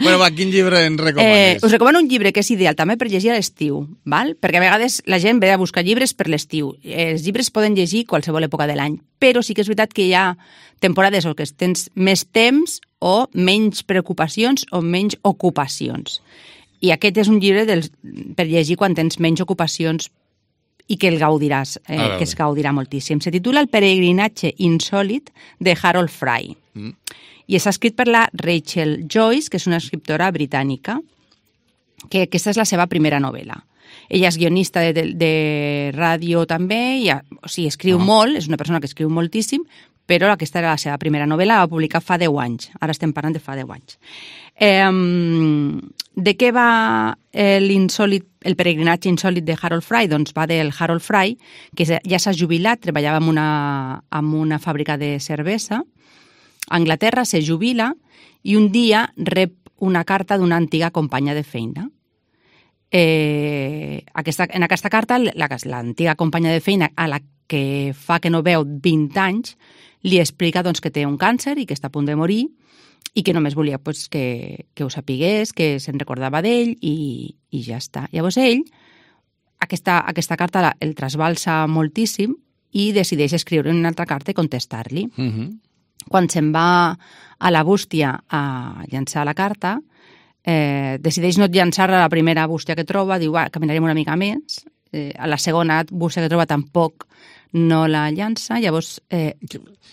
Bueno, va, quin llibre en Eh, recomanes? us recomano un llibre que és ideal també per llegir a l'estiu, val? Perquè a vegades la gent ve a buscar llibres per l'estiu. Els llibres poden llegir qualsevol època de l'any, però sí que és veritat que hi ha temporades o que tens més temps o menys preocupacions o menys ocupacions. I aquest és un llibre dels, per llegir quan tens menys ocupacions i que el gaudiràs, eh, A veure. que es gaudirà moltíssim. Se titula El peregrinatge insòlit de Harold Fry. Mm. I està escrit per la Rachel Joyce, que és una escriptora britànica, que aquesta és la seva primera novel·la. Ella és guionista de, de, de ràdio també, i, o sigui, escriu Ah. molt, és una persona que escriu moltíssim, però aquesta era la seva primera novel·la, la va publicar fa deu anys. Ara estem parlant de fa deu anys. Eh, de què va eh, l'insòlit, el peregrinatge insòlit de Harold Fry? Doncs va del Harold Fry, que ja s'ha jubilat, treballava en una, en una fàbrica de cervesa, a Anglaterra, se jubila i un dia rep una carta d'una antiga companya de feina. Eh, aquesta, en aquesta carta, l'antiga companya de feina, a la que fa que no veu vint anys, li explica doncs, que té un càncer i que està a punt de morir i que només volia pues, que, que ho sapigués, que se'n recordava d'ell i, i ja està. Llavors ell, aquesta, aquesta carta la, el trasbalsa moltíssim i decideix escriure una altra carta i contestar-li. Mm -hmm. Quan se'n va a la bústia a llançar la carta, eh, decideix no llançar-la a la primera bústia que troba, diu, va, caminarem una mica més, eh, a la segona bústia que troba tampoc no la llança, llavors eh,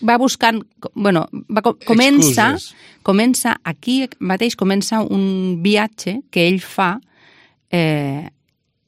va buscant, bueno, va, comença, Excuses. comença, aquí mateix comença un viatge que ell fa eh,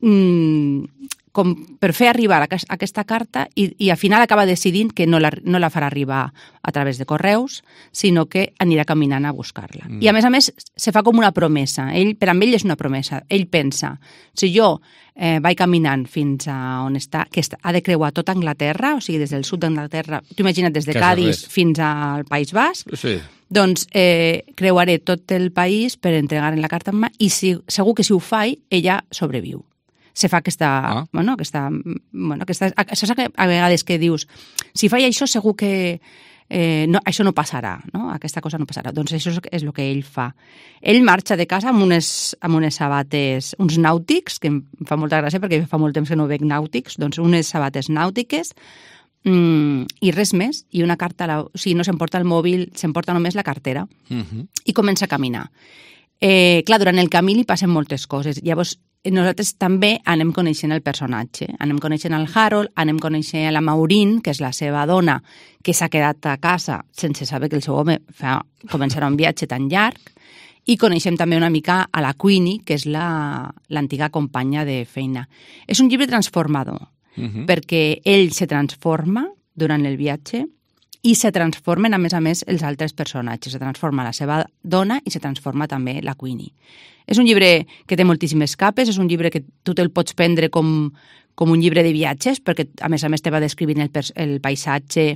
mm, com per fer arribar a aquesta carta i, i al final acaba decidint que no la, no la farà arribar a través de correus, sinó que anirà caminant a buscar-la. Mm. I a més a més se fa com una promesa. Ell, per a ell és una promesa. Ell pensa, si jo eh, vaig caminant fins a on està, que està, ha de creuar tota Anglaterra, o sigui, des del sud d'Anglaterra, tu imagina't des de Casa Cádiz res. fins al País Basc, Sí. doncs eh, creuaré tot el país per entregar la carta en mà i si, segur que si ho faig, ella sobreviu. Se fa aquesta... Ah. Bueno, aquesta, bueno, aquesta, això és a vegades que dius, si faig això segur que eh, no, això no passarà, no? Aquesta cosa no passarà. Doncs això és, és el que ell fa. Ell marxa de casa amb unes, amb unes sabates, uns nàutics, que em fa molta gràcia perquè fa molt temps que no veig nàutics, doncs unes sabates nàutiques, mm, i res més, i una carta, la, o sigui, no s'emporta el mòbil, s'emporta només la cartera, Mm -hmm. i comença a caminar. Eh, clar, durant el camí li passen moltes coses. Llavors, nosaltres també anem coneixent el personatge. Anem coneixent el Harold, anem coneixent la Maureen, que és la seva dona, que s'ha quedat a casa sense saber que el seu home fa, començarà un viatge tan llarg, i coneixem també una mica a la Queenie, que és l'antiga companya de feina. És un llibre transformador, uh-huh. perquè ell se transforma durant el viatge i se transformen, a més a més, els altres personatges. Se transforma la seva dona i se transforma també la Queenie. És un llibre que té moltíssimes capes, és un llibre que tu te'l pots prendre com, com un llibre de viatges, perquè a més a més te va descrivint el, el paisatge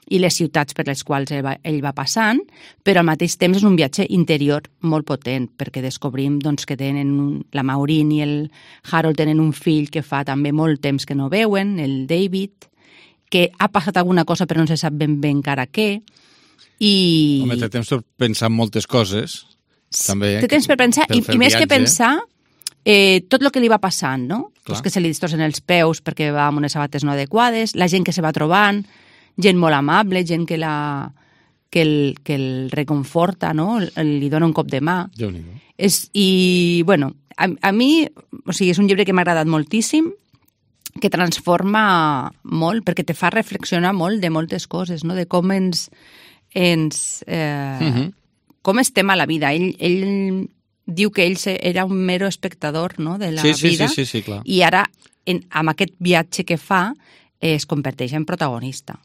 i les ciutats per les quals ell va, ell va passant, però al mateix temps és un viatge interior molt potent, perquè descobrim doncs, que tenen un, la Maureen i el Harold tenen un fill que fa també molt temps que no veuen, el David, que ha passat alguna cosa però no se sap ben bé encara què. I... Home, té temps per pensar en moltes coses. També, té temps per pensar, per i, i més viatge. que pensar eh, tot el que li va passant, no? Pues que se li distorsen els peus perquè va amb unes sabates no adequades, la gent que se va trobant, gent molt amable, gent que, la, que, el, que el reconforta, no? Li dona un cop de mà. Déu-n'hi-do. És, I, bueno, a, a mi, o sigui, és un llibre que m'ha agradat moltíssim, que transforma molt, perquè te fa reflexionar molt de moltes coses, no? De com ens... ens eh, uh-huh. com estem a la vida. Ell, ell diu que ell era un mero espectador, no? De la sí, sí, vida, sí, sí, sí, clar. I ara, en, amb aquest viatge que fa, es converteix en protagonista.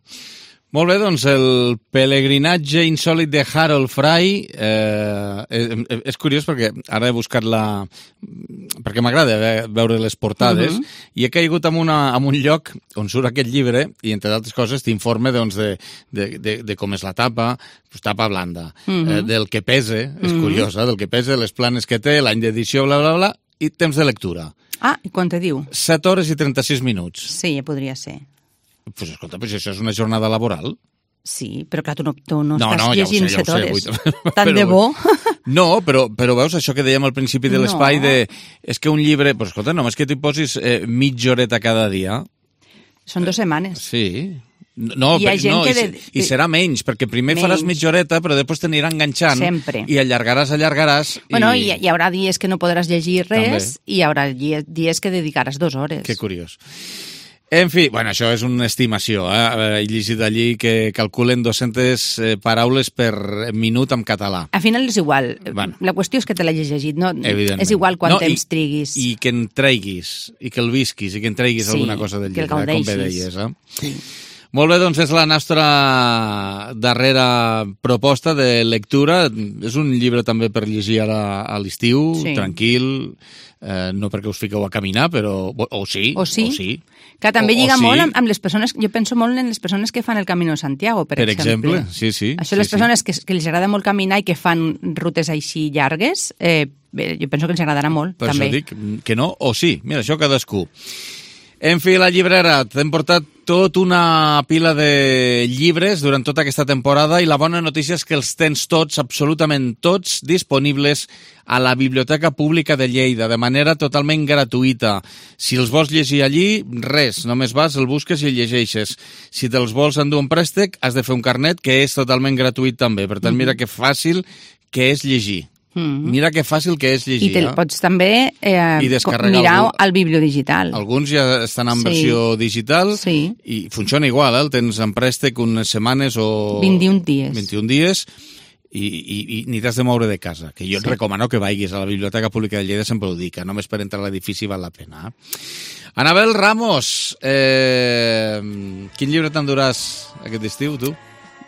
Molt bé, doncs el pelegrinatge insòlit de Harold Fry eh, és, és curiós perquè ara he buscat la... perquè m'agrada veure les portades uh-huh. i he caigut en, una, en un lloc on surt aquest llibre i, entre d'altres coses, t'informe doncs, de, de, de, de com és la tapa, pues, tapa blanda, uh-huh. eh, del que pese, és uh-huh. curiós, eh, del que pese, les planes que té, l'any d'edició, bla, bla, bla, i temps de lectura. Ah, i quan te diu? set hores i trenta-sis minuts. Sí, podria ser. Pues escolta, pues això és una jornada laboral. Sí, però clar, tu no, tu no, no estàs no, llegint ja set sé, hores. Ja Tant de bo. No, però, però veus això que dèiem al principi de l'espai, no. de, és que un llibre... Pues escolta, només que t'hi posis eh, mitja horeta cada dia... Són dues setmanes. Sí. No, hi ha gent no que i, de... i serà menys, perquè primer menys. faràs mitja horeta, però després t'anirà enganxant. Sempre. I allargaràs, allargaràs... Bueno, i... i hi haurà dies que no podràs llegir res També. i hi haurà dies que dedicaràs dues hores. Que curiós. En fi, bueno, això és una estimació. Eh? He llegit allí que calculen dues-centes paraules per minut en català. Al final és igual. Bueno. La qüestió és que te l'hagis llegit, no? Evidentment. És igual quant no, temps i, triguis. I que en treguis, i que el visquis, i que en treguis sí, alguna cosa del llibre, eh? com bé deies. Eh? Sí. Molt bé, doncs és la nostra darrera proposta de lectura. És un llibre també per llegir ara a l'estiu, sí. tranquil, eh, no perquè us fiqueu a caminar, però... O sí, o sí. O sí. Que també o, lliga o sí. molt amb, amb les persones... Jo penso molt en les persones que fan el Camino de Santiago, per, per exemple. exemple. Sí, sí. Això sí, les persones sí. que, que els agrada molt caminar i que fan rutes així llargues, eh, jo penso que els agradarà molt, per també. Per això dic que no o sí. Mira, això cadascú. En fi, la llibrera, t'hem portat tot una pila de llibres durant tota aquesta temporada i la bona notícia és que els tens tots, absolutament tots, disponibles a la Biblioteca Pública de Lleida, de manera totalment gratuïta. Si els vols llegir allí, res, només vas, el busques i el llegeixes. Si te'ls vols endur un préstec, has de fer un carnet que és totalment gratuït també. Per tant, mira que fàcil que és llegir. Mm-hmm. Mira que fàcil que és llegir. I te'l pots també eh, mirar algú, al bibliodigital. Alguns ja estan en sí. versió digital sí. i funciona igual, eh? El tens en préstec unes setmanes o... vint-i-un dies. vint-i-un dies i, i, i ni t'has de moure de casa. Que jo sí. et recomano que vagis a la Biblioteca Pública de Lleida, sempre ho dic, que només per entrar a l'edifici val la pena. Anabel Ramos, eh, quin llibre t'enduràs aquest estiu, tu?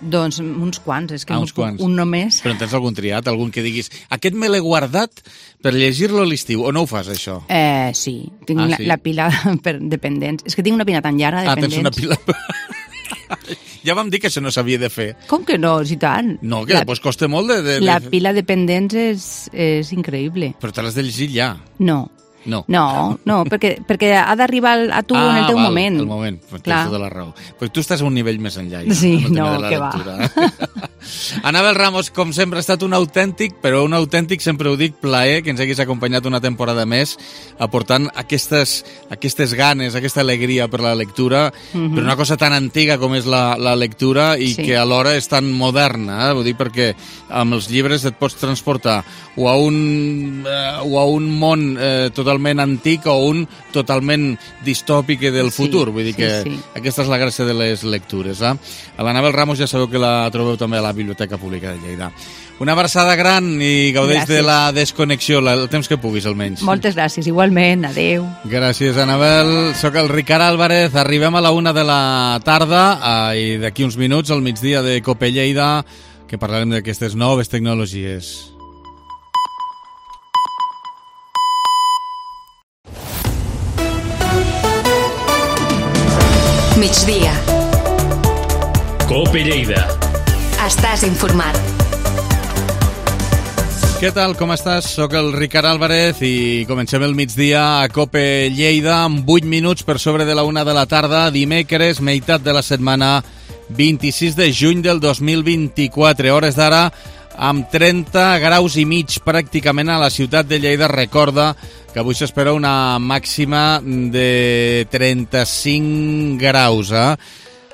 Doncs uns quants, és que ah, un, quants. un només. Però en tens algun triat, algun que diguis aquest me l'he guardat per llegir-lo a l'estiu, o no ho fas, això? Eh, sí, tinc ah, la, sí? la pila per dependents. És que tinc una pila tan llarga de ah, dependents. Ah, tens una pila... Ja vam dir que això no s'havia de fer. Com que no, si tant? No, que la, després costa molt de, de... La pila de pendents és, és increïble. Però te l'has de llegir ja. No. No, no, no perquè, perquè ha d'arribar a tu ah, en el teu val, moment. el moment, tens tota la raó. Però tu estàs a un nivell més enllà. Ja, sí, no, que lectura. va. Anabel Ramos, com sempre, ha estat un autèntic, però un autèntic, sempre ho dic, plaer que ens haguis acompanyat una temporada més, aportant aquestes, aquestes ganes, aquesta alegria per la lectura, mm-hmm. per una cosa tan antiga com és la, la lectura i sí. que alhora és tan moderna, eh? Vull dir, perquè amb els llibres et pots transportar o a un, eh, o a un món eh, totalment antic o un totalment distòpic del sí, futur. Vull dir sí, que sí. aquesta és la gràcia de les lectures. Eh? A l'Anabel Ramos ja sabeu que la trobeu també a la Biblioteca Pública de Lleida. Una abraçada gran i gaudeix gràcies. De la desconnexió, el temps que puguis almenys. Moltes gràcies, igualment, adeu. Gràcies, Anabel. Soc el Ricard Álvarez, arribem a la una de la tarda eh, i d'aquí uns minuts al migdia de Cope Lleida que parlarem d'aquestes noves tecnologies. Migdia. Cope Lleida. Estàs informat. Què tal, com estàs? Soc el Ricard Álvarez i comencem el migdia a Cope Lleida amb vuit minuts per sobre de la una de la tarda, dimecres, meitat de la setmana, vint-i-sis de juny del dos mil vint-i-quatre, hores d'ara amb trenta graus i mig pràcticament a la ciutat de Lleida. Recorda que avui s'espera una màxima de trenta-cinc graus, eh?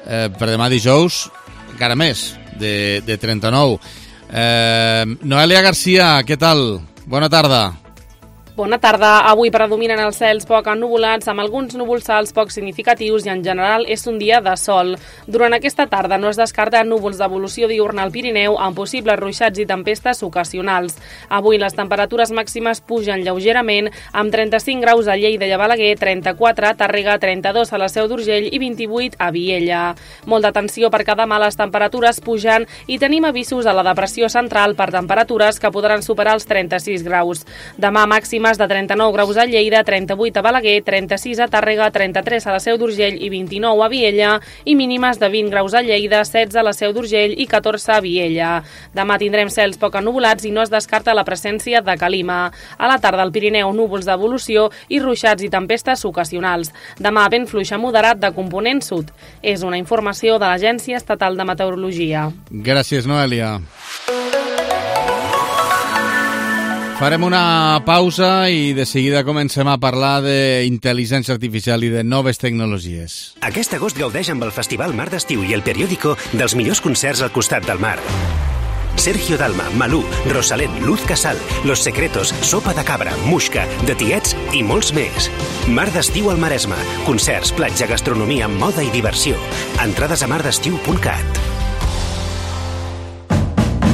eh per demà dijous encara més, de, de trenta-nou. Eh, Noelia Garcia, què tal? Bona tarda. Bona tarda. Avui predominen els cels poc ennuvolats, amb alguns núvols alts poc significatius i en general és un dia de sol. Durant aquesta tarda no es descarten núvols d'evolució diurna al Pirineu amb possibles ruixats i tempestes ocasionals. Avui les temperatures màximes pugen lleugerament amb trenta-cinc graus a Lleida i a Balaguer, trenta-quatre a Tàrrega, trenta-dos a la Seu d'Urgell i vint-i-vuit a Viella. Molt d'atenció perquè demà les temperatures pugen i tenim avisos a la depressió central per temperatures que podran superar els trenta-sis graus. Demà màxima de trenta-nou graus a Lleida, trenta-vuit a Balaguer, trenta-sis a Tàrrega, trenta-tres a la Seu d'Urgell i vint-i-nou a Viella, i mínimes de vint graus a Lleida, setze a la Seu d'Urgell i catorze a Viella. Demà tindrem cels poc ennuvolats i no es descarta la presència de calima. A la tarda al Pirineu, núvols d'evolució i ruixats i tempestes ocasionals. Demà vent fluix a moderat de component sud. És una informació de l'Agència Estatal de Meteorologia. Gràcies, Noelia. Farem una pausa i de seguida comencem a parlar d'intel·ligència artificial i de noves tecnologies. Aquest agost gaudeix amb el Festival Mar d'Estiu i el Periódico dels millors concerts al costat del mar. Sergio Dalma, Malú, Rosalén, Luz Casal, Los Secretos, Sopa de Cabra, Muixca, De Tiets i molts més. Mar d'Estiu al Maresme. Concerts, platja, gastronomia, moda i diversió. Entrades a mardestiu punt cat.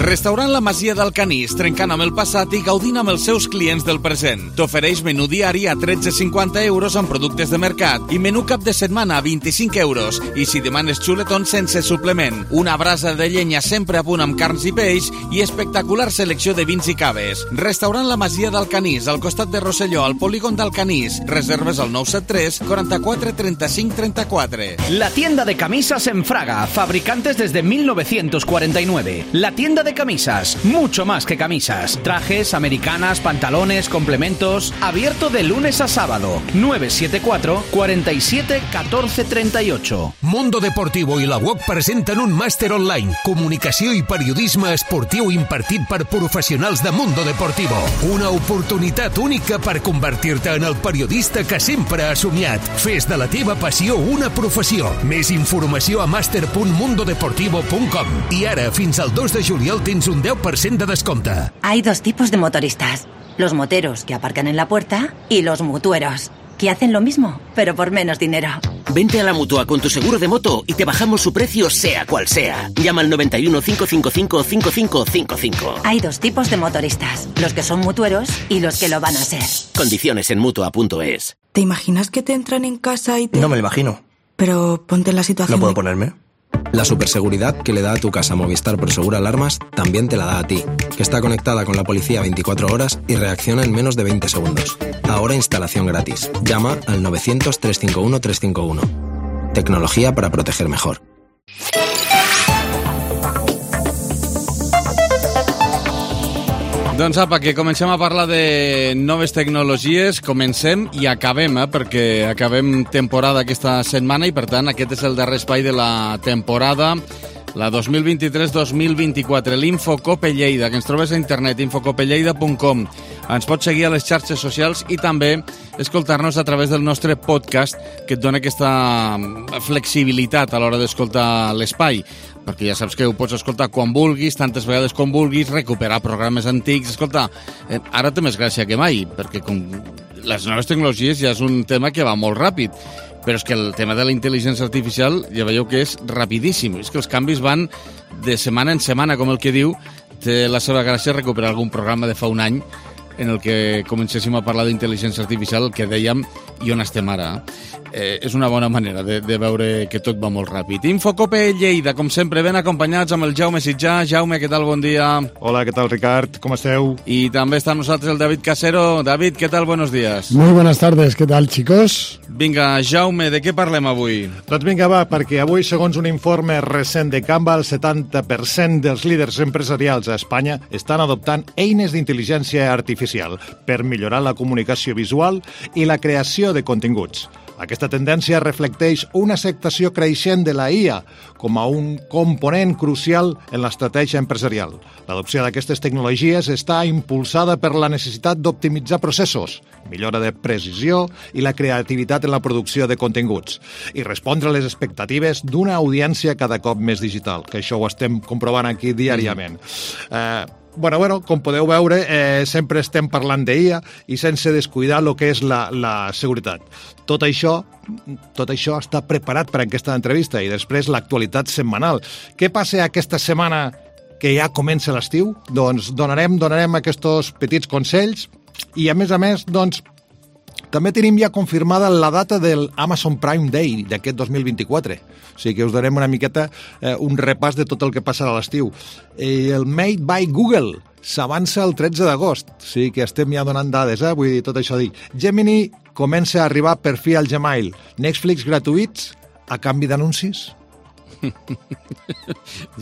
Restaurant La Masia del Canís, trencant amb el passat i gaudint amb els seus clients del present. T'ofereix menú diari a tretze coma cinquanta euros amb productes de mercat i menú cap de setmana a vint-i-cinc euros. I si demanes xuletons sense suplement. Una brasa de llenya sempre a punt amb carns i peix i espectacular selecció de vins i caves. Restaurant La Masia del Canís, al costat de Rosselló, al polígon del Canís. Reserves al nou set tres, quaranta-quatre, trenta-cinc, trenta-quatre. La tienda de camisas en Fraga, fabricantes desde mil novecientos cuarenta y nueve. La tienda de camisas, mucho más que camisas. Trajes, americanas, pantalones, complementos. Abierto de lunes a sábado. nueve siete cuatro, cuarenta y siete, catorce, treinta y ocho. Mundo Deportivo i la U O C presenten un màster online. Comunicació i periodisme esportiu impartit per professionals de Mundo Deportivo. Una oportunitat única per convertir-te en el periodista que sempre has somiat. Fes de la teva passió una professió. Més informació a master punt mundo deportivo punt com. I ara, fins al dos de juliol, tens un deu per cent de descompte. Hay dos tipos de motoristas. Los moteros que aparcan en la puerta y los mutueros, que hacen lo mismo, pero por menos dinero. Vente a la Mutua con tu seguro de moto y te bajamos su precio sea cual sea. Llama al noventa y uno, cinco cinco cinco, cinco cinco cinco cinco. Hay dos tipos de motoristas, los que son mutueros y los que lo van a ser. Condiciones en Mutua punto es. ¿Te imaginas que te entran en casa y te...? No me lo imagino. Pero ponte en la situación... ¿No puedo de... ponerme? La superseguridad que le da a tu casa Movistar Prosegur Alarmas también te la da a ti, que está conectada con la policía veinticuatro horas y reacciona en menos de veinte segundos. Ahora instalación gratis. Llama al novecientos, trescientos cincuenta y uno, trescientos cincuenta y uno. Tecnología para proteger mejor. Doncs apa, que comencem a parlar de noves tecnologies, comencem i acabem, eh, perquè acabem temporada aquesta setmana i per tant aquest és el darrer espai de la temporada la dos mil vint-i-tres dos mil vint-i-quatre, l'Infocope Lleida, que ens trobes a internet, infocope lleida punt com. Ens pots seguir a les xarxes socials i també escoltar-nos a través del nostre podcast, que et dona aquesta flexibilitat a l'hora d'escoltar l'espai, perquè ja saps que ho pots escoltar quan vulguis, tantes vegades com vulguis, recuperar programes antics. Escolta, eh, ara té més gràcia que mai, perquè com les noves tecnologies ja és un tema que va molt ràpid, però és que el tema de la intel·ligència artificial ja veieu que és rapidíssim, és que els canvis van de setmana en setmana, com el que diu. Té la seva gràcia recuperar algun programa de fa un any en el que comencéssim a parlar d'intel·ligència artificial, el que dèiem i on estem ara. Eh, és una bona manera de, de veure que tot va molt ràpid. Infocope Lleida, com sempre, ben acompanyats amb el Jaume Sitjà. Jaume, què tal? Bon dia. Hola, què tal, Ricard? Com esteu? I també està amb nosaltres el David Casero. David, què tal? Buenos días. Muy buenas tardes, què tal, chicos? Vinga, Jaume, de què parlem avui? Doncs vinga, va, perquè avui, segons un informe recent de Canva, el setanta per cent dels líders empresarials a Espanya estan adoptant eines d'intel·ligència artificial per millorar la comunicació visual i la creació de continguts. Aquesta tendència reflecteix una acceptació creixent de la I A com a un component crucial en l'estratègia empresarial. L'adopció d'aquestes tecnologies està impulsada per la necessitat d'optimitzar processos, millora de precisió i la creativitat en la producció de continguts, i respondre a les expectatives d'una audiència cada cop més digital, que això ho estem comprovant aquí diàriament. Mm. Eh, Bueno, bueno, com podeu veure, eh, sempre estem parlant d'I A i sense descuidar el que és la, la seguretat. Tot això, tot això està preparat per aquesta entrevista i després l'actualitat setmanal. Què passa aquesta setmana que ja comença l'estiu? Doncs donarem, donarem aquests petits consells i, a més a més, doncs, també tenim ja confirmada la data del Amazon Prime Day d'aquest dos mil vint-i-quatre. O sigui que us darem una miqueta eh, un repàs de tot el que passarà a l'estiu. I el Made by Google s'avança el tretze d'agost. O sigui que estem ja donant dades, eh? Vull dir, tot això dir. Gemini comença a arribar per fi al Gmail. Netflix gratuïts a canvi d'anuncis.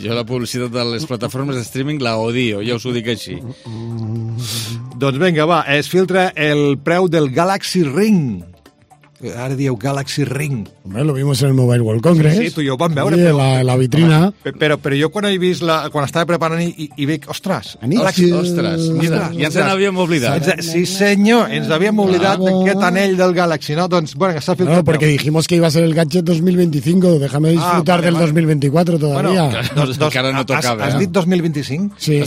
Jo la publicitat de les plataformes de streaming la odio, ja us ho dic així. Doncs vinga, va, es filtra el preu del Galaxy Ring. Ara dieu Galaxy Ring. Hombre, lo vimos en el Mobile World Congress. Sí, sí, tu i jo ho vam veure. Sí, però, la, la vitrina. Però, però, però jo quan he vist la, quan estava preparant i, i veig, ostres, Galaxy, ostres, mira, ja ens n'havíem oblidat. Sí, senyor, ens havíem oblidat d'aquest anell del Galaxy, ¿no? Doncs, bueno, s'ha filtrat. No, porque dijimos que iba a ser el gadget dos mil veinticinco, déjame disfrutar ah, vale, del vale. dos mil veinticuatro todavía. Bueno, dos, dos, encara no tocava. Has, has dit dos mil vint-i-cinc? Sí.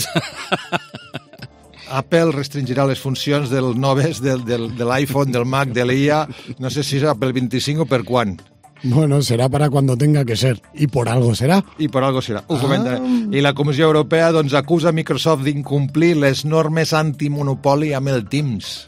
Apple restringirà les funcions del noves, del, del, de l'iPhone, del Mac, de l'I A, no sé si serà pel vint-i-cinc o per quan. Bueno, será para cuando tenga que ser. Y por algo será. I por algo serà. Ho ah. comentaré. I la Comissió Europea doncs, acusa Microsoft d'incomplir les normes antimonopoli amb el Teams.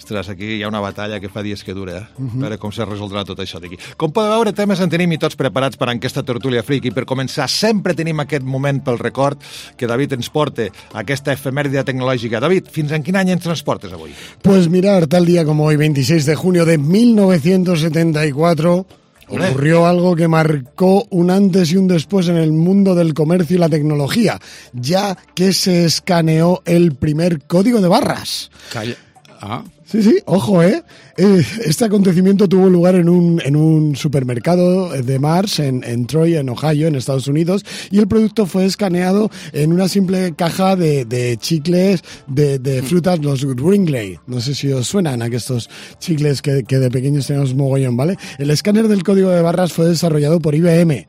Ostres, aquí hi ha una batalla que fa dies que dura, eh? Uh-huh. A veure com se resoldrà tot això d'aquí. Com podeu veure, temes en tenim i tots preparats per a aquesta tertúlia friki. Per començar, sempre tenim aquest moment pel record que David ens porta aquesta efemèride tecnològica. David, fins en quin any ens transportes avui? Pues mirar, tal día como hoy, veintiséis de junio de mil novecientos setenta y cuatro... ocurrió algo que marcó un antes y un después en el mundo del comercio y la tecnología, ya que se escaneó el primer código de barras. Calla. Ah. Sí, sí, ojo, ¿eh? Este acontecimiento tuvo lugar en un, en un supermercado de Mars, en, en Troy, en Ohio, en Estados Unidos, y el producto fue escaneado en una simple caja de, de chicles de, de frutas, los Wrigley. No sé si os suenan a estos chicles que, que de pequeños tenemos mogollón, ¿vale? El escáner del código de barras fue desarrollado por I B M.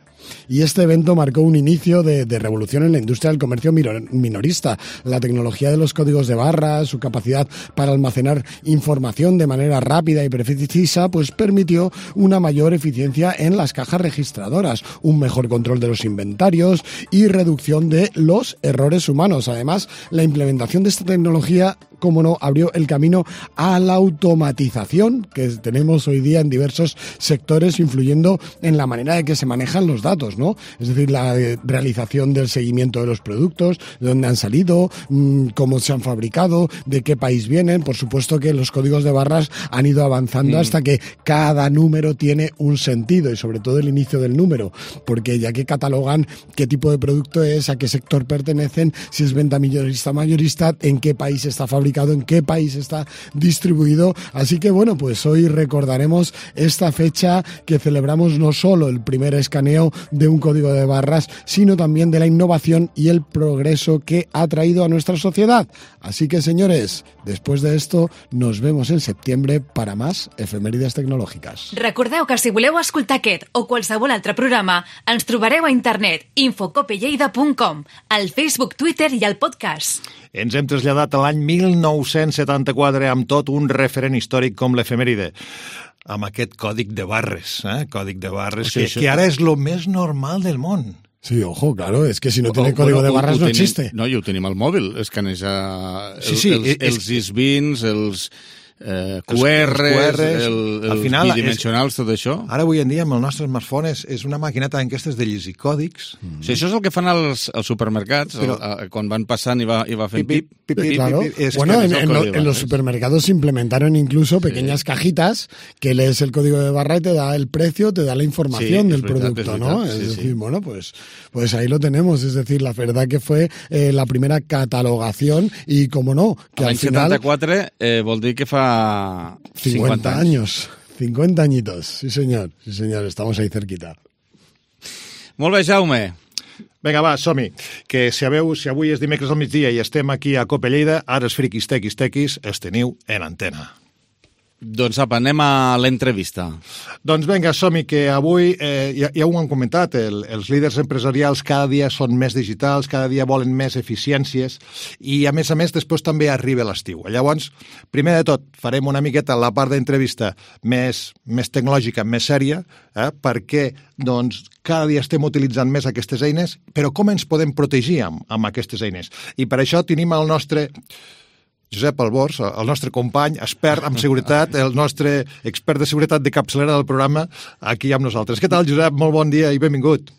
Y este evento marcó un inicio de, de revolución en la industria del comercio minorista. La tecnología de los códigos de barras, su capacidad para almacenar información de manera rápida y precisa, pues permitió una mayor eficiencia en las cajas registradoras, un mejor control de los inventarios y reducción de los errores humanos. Además, la implementación de esta tecnología, como no, abrió el camino a la automatización que tenemos hoy día en diversos sectores, influyendo en la manera de que se manejan los datos, ¿no? Es decir, la realización del seguimiento de los productos, de dónde han salido, mmm, cómo se han fabricado, de qué país vienen. Por supuesto que los códigos de barras han ido avanzando mm. hasta que cada número tiene un sentido, y sobre todo el inicio del número, porque ya que catalogan qué tipo de producto es, a qué sector pertenecen, si es venta minorista mayorista, en qué país está fabricado, fabricado, en qué país está distribuido. Así que bueno, pues hoy recordaremos esta fecha que celebramos no solo el primer escaneo de un código de barras, sino también de la innovación y el progreso que ha traído a nuestra sociedad. Así que, señores, después de esto nos vemos en septiembre para más efemèrides tecnològiques. Recordeu que si voleu escoltar aquest o qualsevol altre programa, ens trobareu a internet infocopelleida punt com, al Facebook, Twitter i al podcast. Ens hem traslladat a l'any mil nou-cents setanta-quatre amb tot un referent històric com l'efemèride, amb aquest còdic de barres, eh? còdic de barres, O sigui, que, això- que ara és lo més normal del món. Sí, ojo, claro, es que si no O- tiene o- código de bueno, barras ho no tenim- existe. No, i ho tenim al mòbil, escanejar el, Sí, sí, els, és- els isbins, els eh, Q Els- Rs, els Q Rs, el, al els final bidimensionals, tot això. Ara avui en dia amb el nostre smartphone és, és una maquineta d'aquestes de llegir còdics. Mm. Sí, això és el que fan als, als supermercats, Però- el, el, quan van passant i va, i va fent Pip, pip. pip, pip, Claro. pip, pip, es Bueno, que en, es el en lo- código de en los barras. supermercados se implementaron incluso pequeñas cajitas que lees el código de barra y te da el precio, te da la información Sí, del es verdad, producto, es ¿no? verdad, Es sí, decir, sí. bueno, pues, pues ahí lo tenemos. Es decir, la verdad que fue eh, la primera catalogación y, como no, que al L'any final... setanta-quatre eh, vol dir que fa cincuenta años. cincuenta añitos, sí señor, sí señor, estamos ahí cerquita. Molt bé, Jaume. Vinga, va, som-hi. Que si sabeu, si avui és dimecres al migdia i estem aquí a Cope Lleida, ara els friquis tequis tequis els teniu en antena. Doncs apa, anem a l'entrevista. Doncs vinga, som-hi, que avui, eh, ja, ja ho han comentat, el, els líders empresarials cada dia són més digitals, cada dia volen més eficiències i, a més a més, després també arriba l'estiu. Llavors, primer de tot, farem una miqueta la part d'entrevista més, més tecnològica, més sèria, eh, perquè doncs, cada dia estem utilitzant més aquestes eines, però com ens podem protegir amb, amb aquestes eines? I per això tenim el nostre... Josep Albors, el nostre company, expert en seguretat, el nostre expert de seguretat de capçalera del programa, aquí amb nosaltres. Què tal, Josep? Molt bon dia i benvingut.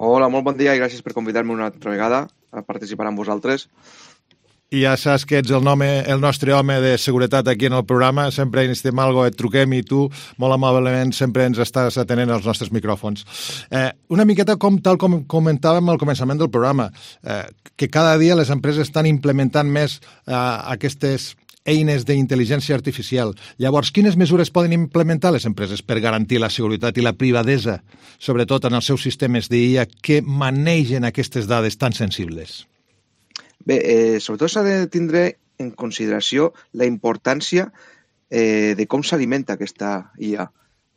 Hola, molt bon dia i gràcies per convidar-me una altra vegada a participar amb vosaltres. I ja saps que ets el, nome, el nostre home de seguretat aquí en el programa, sempre necessitem alguna cosa, et truquem i tu, molt amablement, sempre ens estàs atenent als nostres micròfons. Eh, una miqueta com tal com comentàvem al començament del programa, eh, que cada dia les empreses estan implementant més eh, aquestes eines d'intel·ligència artificial. Llavors, quines mesures poden implementar les empreses per garantir la seguretat i la privadesa, sobretot en els seus sistemes d'I A que manegen aquestes dades tan sensibles? Bé, eh, sobretot s'ha de tindre en consideració la importància eh, de com s'alimenta aquesta I A.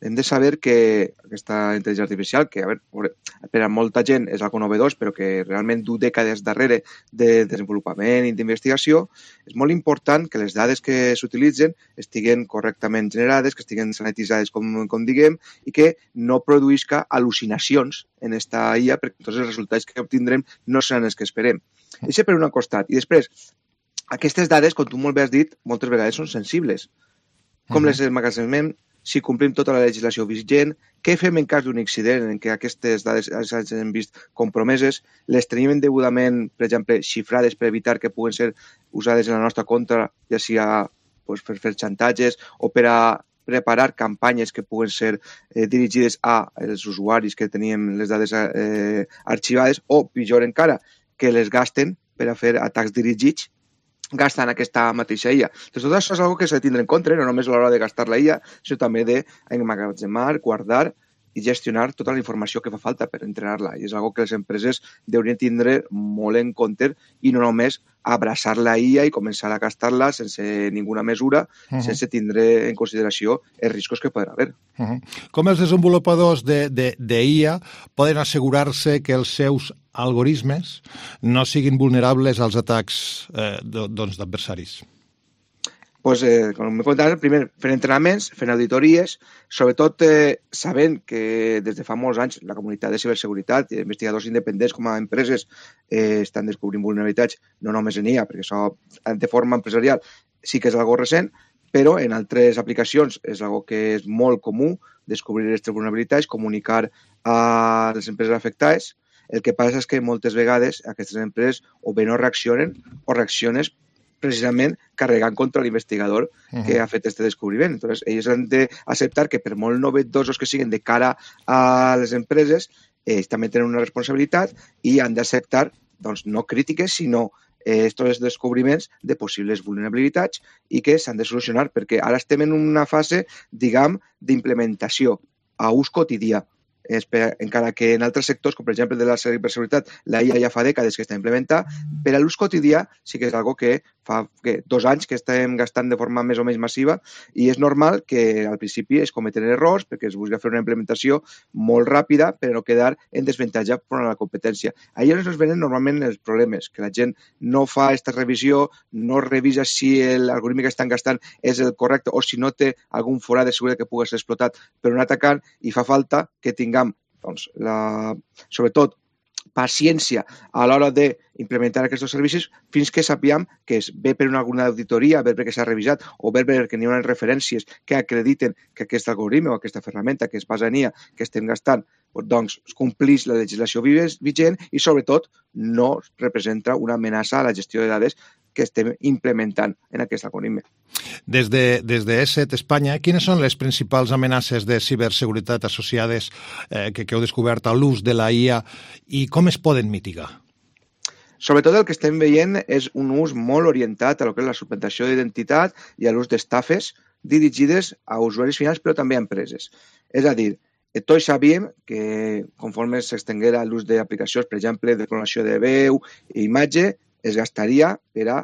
Hem de saber que aquesta intel·ligència artificial, que a veure, per a molta gent és algo novedós, però que realment du dècades darrere de desenvolupament i d'investigació, és molt important que les dades que s'utilitzen estiguen correctament generades, que estiguen sanititzades, com, com diguem, i que no produïsca al·lucinacions en esta I A, perquè tots els resultats que obtindrem no seran els que esperem. Això per un costat. I després, aquestes dades, com tu molt bé has dit, moltes vegades són sensibles. Com uh-huh. les emmagatzemem, si complim tota la legislació vigent, què fem en cas d'un accident en què aquestes dades s'hagin vist compromeses, les tenim degudament, per exemple, xifrades per evitar que puguen ser usades en la nostra contra, ja sigui pues, per fer xantatges o per a preparar campanyes que puguen ser eh, dirigides als usuaris que teníem les dades eh, arxivades o, pitjor encara, que les gasten per a fer atacs dirigits gastant aquesta mateixa I A. Doncs tot això és una cosa que s'ha de tindre en compte, no només a l'hora de gastar la I A, sinó també d'emmagatzemar, guardar i gestionar tota la informació que fa falta per entrenar-la. I és una cosa que les empreses deurien tindre molt en compte i no només abraçar la I A i començar a gastar-la sense ninguna mesura, uh-huh. sense tindre en consideració els riscos que poden haver. Uh-huh. Com els desenvolupadors de, de, de I A poden assegurar-se que els seus algoritmes no siguin vulnerables als atacs eh, doncs, d'adversaris? Pues, eh, com m'he comentat, primer fent entrenaments, fent auditories, sobretot eh, sabent que des de fa molts anys la comunitat de ciberseguretat i investigadors independents com a empreses eh, estan descobrint vulnerabilitats, no només en I A, perquè això de forma empresarial sí que és algo recent, però en altres aplicacions és algo que és molt comú descobrir aquestes vulnerabilitats, comunicar a les empreses afectades. El que passa és que moltes vegades aquestes empreses o bé no reaccionen o reaccionen precisament carregant contra l'investigador uh-huh. que ha fet aquest descobriment. Entonces, ells han d'acceptar que per molt novedosos que siguin de cara a les empreses, ells també tenen una responsabilitat i han d'acceptar, doncs, no crítiques, sinó aquests descobriments de possibles vulnerabilitats i que s'han de solucionar, perquè ara estem en una fase, diguem, d'implementació a ús quotidià. Encara que en altres sectors, com per exemple de la ciberseguretat, la I A ja fa dècades que està implementada, per a l'ús quotidià sí que és algo que fa que, dos anys que estem gastant de forma més o menys massiva i és normal que al principi es cometen errors perquè es busca fer una implementació molt ràpida per no quedar en desavantatge per a la competència. Ahí on es venen normalment els problemes, que la gent no fa aquesta revisió, no revisa si l'algoritme que estan gastant és el correcte o si no té algun forat de seguretat que pugui ser explotat per un atacant i fa falta que tinguem doncs, la, sobretot paciència a l'hora d'implementar aquests servicis fins que sapiguem que es ve per una alguna auditoria, ver perquè s'ha revisat o ver perquè n'hi ha unes referències que acrediten que aquest algoritme o aquesta ferramenta que es basa en I A que estem gastant doncs complís la legislació vigent i sobretot no representa una amenaça a la gestió de dades que estem implementant en aquest algoritme. Des de, des de E S E T Espanya, quines són les principals amenaces de ciberseguretat associades eh, que, que heu descobert a l'ús de la I A i com es poden mitigar? Sobretot el que estem veient és un ús molt orientat a lo que és la suplantació d'identitat i a l'ús d'estafes dirigides a usuaris finals però també a empreses. És a dir, tots sabíem que conforme s'estenguera l'ús d'aplicacions, per exemple, de clonació de veu i imatge, es gastaria per a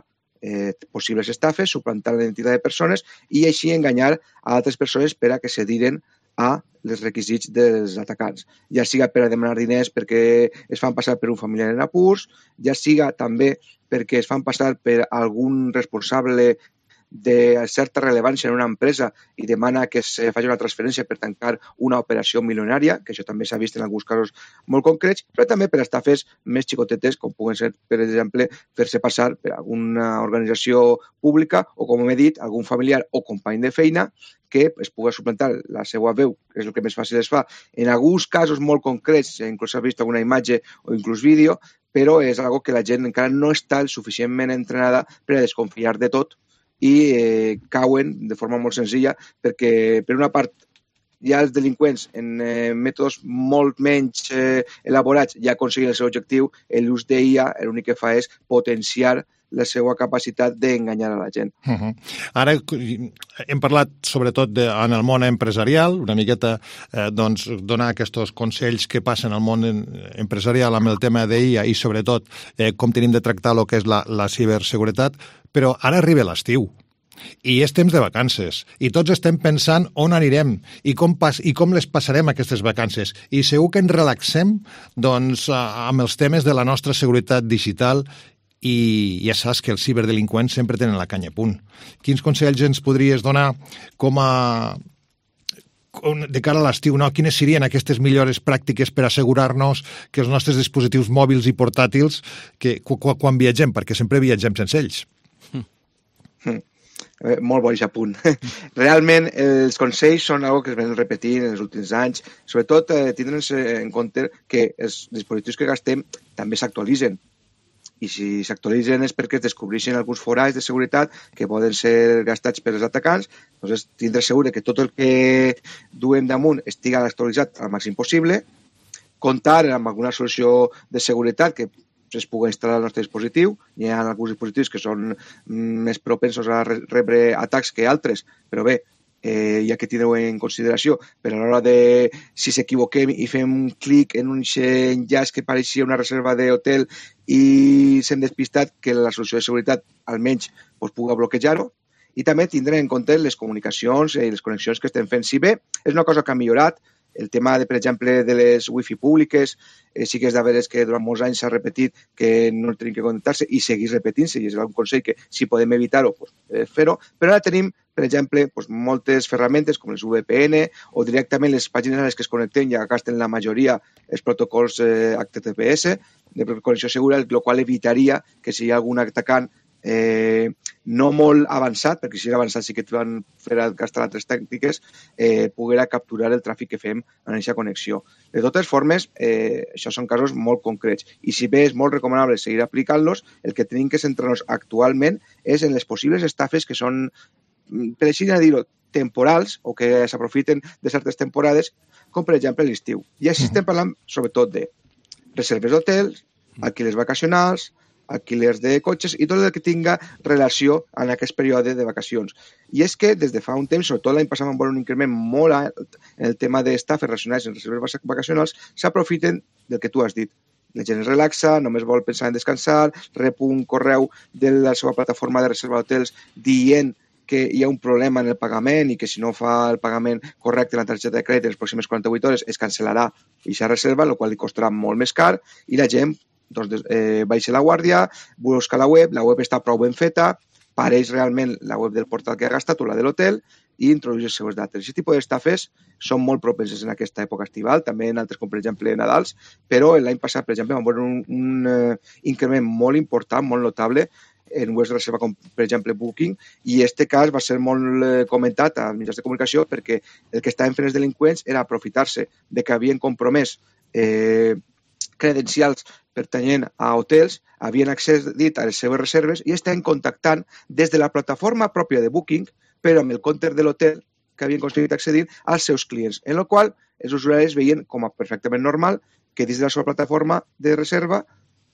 eh, possibles estafes, suplantar la identitat de persones i així enganyar a altres persones per a que cediren a els requisits dels atacants. Ja siga per a demanar diners perquè es fan passar per un familiar en apurs, ja siga també perquè es fan passar per algun responsable de certa rellevància en una empresa i demana que es faci una transferència per tancar una operació milionària, que això també s'ha vist en alguns casos molt concrets, però també per estafes més xicotetes, com puguen ser, per exemple, fer-se passar per alguna organització pública o, com he dit, algun familiar o company de feina que es pugui suplantar la seva veu, que és el que més fàcil es fa. En alguns casos molt concrets, inclús s'ha vist alguna imatge o inclús vídeo, però és algo que la gent encara no està suficientment entrenada per a desconfiar de tot i eh, cauen de forma molt senzilla perquè, per una part, ja els delinqüents en eh, mètodes molt menys eh, elaborats ja aconseguien el seu objectiu, l'ús d'I A l'únic que fa és potenciar la seva capacitat d'enganyar a la gent. Uh -huh. Ara hem parlat sobretot de, en el món empresarial, una miqueta eh, doncs, donar aquests consells que passen al món empresarial amb el tema d'I A i sobretot eh, com tenim de tractar el que és la, la ciberseguretat, però ara arriba l'estiu i és temps de vacances i tots estem pensant on anirem i com, pas, i com les passarem aquestes vacances i segur que ens relaxem doncs, amb els temes de la nostra seguretat digital i ja saps que els ciberdelinqüents sempre tenen la canya a punt. Quins consells ens podries donar com a de cara a l'estiu, no? Quines serien aquestes millores pràctiques per assegurar-nos que els nostres dispositius mòbils i portàtils que quan viatgem, perquè sempre viatgem sense ells? Mm. Eh, molt bo aquest punt. Realment, els consells són algo que es venen repetint en els últims anys. Sobretot, eh, tindre'ns en compte que els dispositius que gastem també s'actualitzen. I si s'actualitzen és perquè es descobreixen alguns forats de seguretat que poden ser gastats per els atacants, doncs tindre segur que tot el que duem damunt estigui actualitzat al màxim possible, comptar amb alguna solució de seguretat que es pugui instal·lar al nostre dispositiu. Hi ha alguns dispositius que són més propensos a rebre atacs que altres, però bé, eh, hi ha que tindre-ho en consideració. Però a l'hora de, si s'equivoquem i fem un clic en un enllaç que pareixia una reserva d'hotel i s'hem despistat, que la solució de seguretat almenys pues, pugui bloquejar-ho. I també tindre en compte les comunicacions i les connexions que estem fent. Si bé és una cosa que ha millorat, el tema, de, per exemple, de les wifi públiques, eh, sí que és de veres que durant molts anys s'ha repetit que no tenim que connectar-se i seguir repetint-se, i és un consell que si podem evitar-ho, pues, eh, fer-ho. Però ara tenim, per exemple, pues, moltes ferramentes com les V P N o directament les pàgines a les que es connecten ja gasten la majoria els protocols eh, H T T P S de connexió segura, el qual evitaria que si hi ha algun atacant Eh, no molt avançat, perquè si era avançat sí que et van fer gastar altres tècniques, eh, poguera capturar el tràfic que fem en aquesta connexió. De totes formes, eh, això són casos molt concrets i si bé és molt recomanable seguir aplicant-los, el que tenim que centrar-nos actualment és en les possibles estafes que són, per així dir-ho, temporals o que s'aprofiten de certes temporades, com per exemple l'estiu. I així estem parlant sobretot de reserves d'hotels, alquilers vacacionals, alquilers de cotxes i tot el que tinga relació en aquest període de vacacions. I és que des de fa un temps, sobretot l'any passat, vam veure un increment molt alt en el tema d'estafes relacionades amb reserves vacacionals, s'aprofiten del que tu has dit. La gent es relaxa, només vol pensar en descansar, rep un correu de la seva plataforma de reserva d'hotels dient que hi ha un problema en el pagament i que si no fa el pagament correcte en la targeta de crèdit en les pròximes quaranta-vuit hores es cancel·larà aquesta reserva, el qual li costarà molt més car, i la gent doncs, eh, baixa la guàrdia, busca la web, la web està prou ben feta, pareix realment la web del portal que ha gastat o la de l'hotel i introdueix les seves dates. Aquest tipus d'estafes són molt propenses en aquesta època estival, també en altres com per exemple Nadals, però l'any passat, per exemple, vam veure un, un uh, increment molt important, molt notable, en webs de reserva com per exemple Booking, i este cas va ser molt eh, comentat als mitjans de comunicació perquè el que estaven fent els delinqüents era aprofitar-se de que havien compromès eh, credencials pertanyent a hotels, havien accedit a les seves reserves i estaven contactant des de la plataforma pròpia de Booking, però amb el compte de l'hotel que havien aconseguit accedir als seus clients, en el qual els usuaris veien com a perfectament normal que dins de la seva plataforma de reserva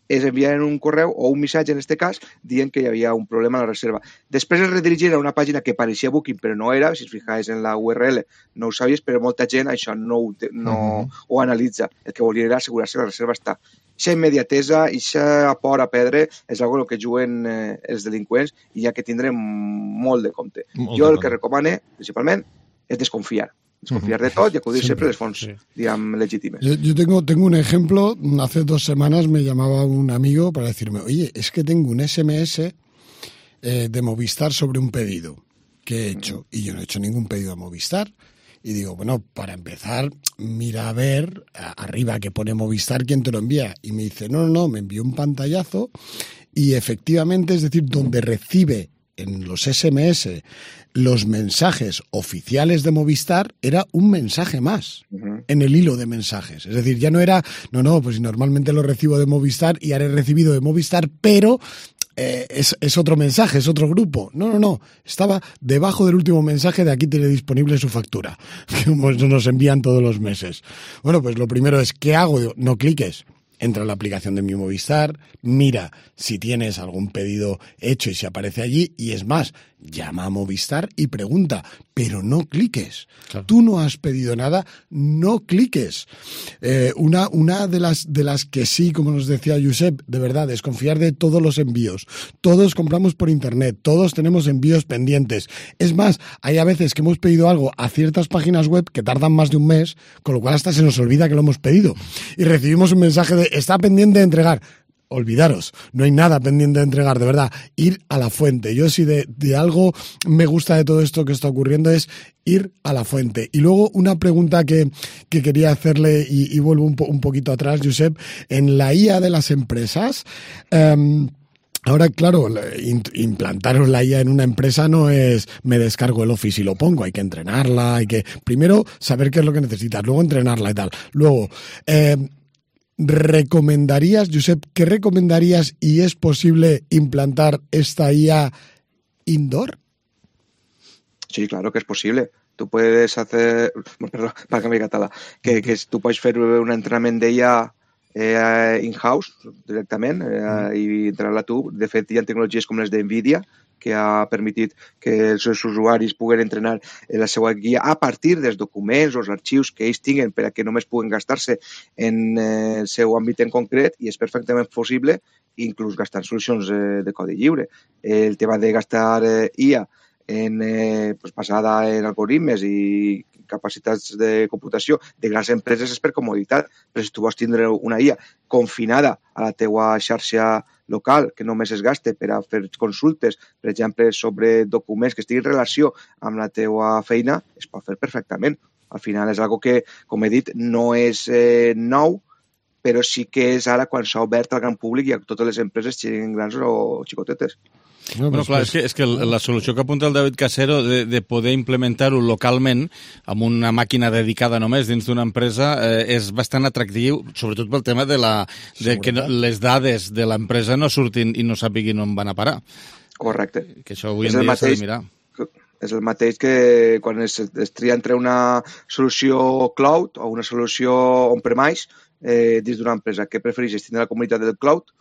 es enviaren un correu o un missatge, en aquest cas, dient que hi havia un problema a la reserva. Després es redirigiren a una pàgina que pareixia Booking, però no era, si es fijaves en la U R L no ho sabies, però molta gent això no ho, no uh-huh. ho analitza. El que volia era assegurar-se que la reserva està. Aquesta immediatesa, aquesta por a perdre, és una cosa que juguen eh, els delinqüents i hi ha que tindre molt de compte. Molt jo el que recomane, principalment, és desconfiar. Desconfiar de todo y acudir siempre a las fonts, sí. digamos, legítimas. Yo, yo tengo, tengo un ejemplo. Hace dos semanas me llamaba un amigo para decirme, oye, es que tengo un S M S eh, de Movistar sobre un pedido que he hecho. Y yo no he hecho ningún pedido a Movistar. Y digo, bueno, para empezar, mira a ver a, arriba que pone Movistar quién te lo envía. Y me dice, no, no, no, me envió un pantallazo y efectivamente, es decir, donde recibe en los S M S los mensajes oficiales de Movistar era un mensaje más uh-huh. en el hilo de mensajes. Es decir, ya no era, no, no, pues normalmente lo recibo de Movistar y ahora he recibido de Movistar, pero eh, es, es otro mensaje, es otro grupo. No, no, no. Estaba debajo del último mensaje de aquí tiene disponible su factura, que nos envían todos los meses. Bueno, pues lo primero es, ¿qué hago? No cliques. Entra en la aplicación de mi Movistar, mira si tienes algún pedido hecho y si aparece allí, y es más, llama a Movistar y pregunta, pero no cliques. Claro. Tú no has pedido nada, no cliques. Eh, una una de las de las que sí, como nos decía Josep, de verdad, desconfiar de todos los envíos. Todos compramos por internet, todos tenemos envíos pendientes. Es más, hay a veces que hemos pedido algo a ciertas páginas web que tardan más de un mes, con lo cual hasta se nos olvida que lo hemos pedido. Y recibimos un mensaje de está pendiente de entregar. Olvidaros, no hay nada pendiente de entregar, de verdad, ir a la fuente. Yo si de, de algo me gusta de todo esto que está ocurriendo es ir a la fuente. Y luego una pregunta que, que quería hacerle, y, y vuelvo un, po, un poquito atrás, Josep, en la I A de las empresas, eh, ahora, claro, implantaros la I A en una empresa no es me descargo el Office y lo pongo, hay que entrenarla, hay que primero saber qué es lo que necesitas, luego entrenarla y tal. Luego, eh, ¿recomendarías, Josep, qué recomendarías y es posible implantar esta I A indoor? Sí, claro que es posible. Tú puedes hacer, perdón, para que me català, que, que tú puedes hacer un entrenamiento de I A eh, in-house directament eh, i entrar-la tu. De fet, hi ha tecnologies com les d'NVIDIA que ha permitit que els seus usuaris puguen entrenar la seva guia a partir dels documents o els arxius que ells tinguen per a que només puguen gastar-se en eh, el seu àmbit en concret, i és perfectament possible inclús gastar solucions eh, de codi lliure. El tema de gastar eh, I A en, eh, pues, basada en algoritmes i capacitats de computació de grans empreses és per comoditat, però si tu vols tindre una I A confinada a la teua xarxa local, que només es gaste per a fer consultes, per exemple, sobre documents que estiguin en relació amb la teua feina, es pot fer perfectament. Al final és algo que, com he dit, no és eh, nou, però sí que és ara quan s'ha obert al gran públic i a totes les empreses, siguin grans o xicotetes. No, bueno, clar, és que, és que la solució que apunta el David Casero de, de poder implementar-ho localment amb una màquina dedicada només dins d'una empresa eh, és bastant atractiu, sobretot pel tema de, la, de que no, les dades de l'empresa no surtin i no sàpiguin on van a parar. Correcte. Que això avui en dia s'ha de mirar. És el mateix que quan es, es tria entre una solució cloud o una solució on-premise eh, dins d'una empresa. Què prefereixes, tindre la comunitat del cloud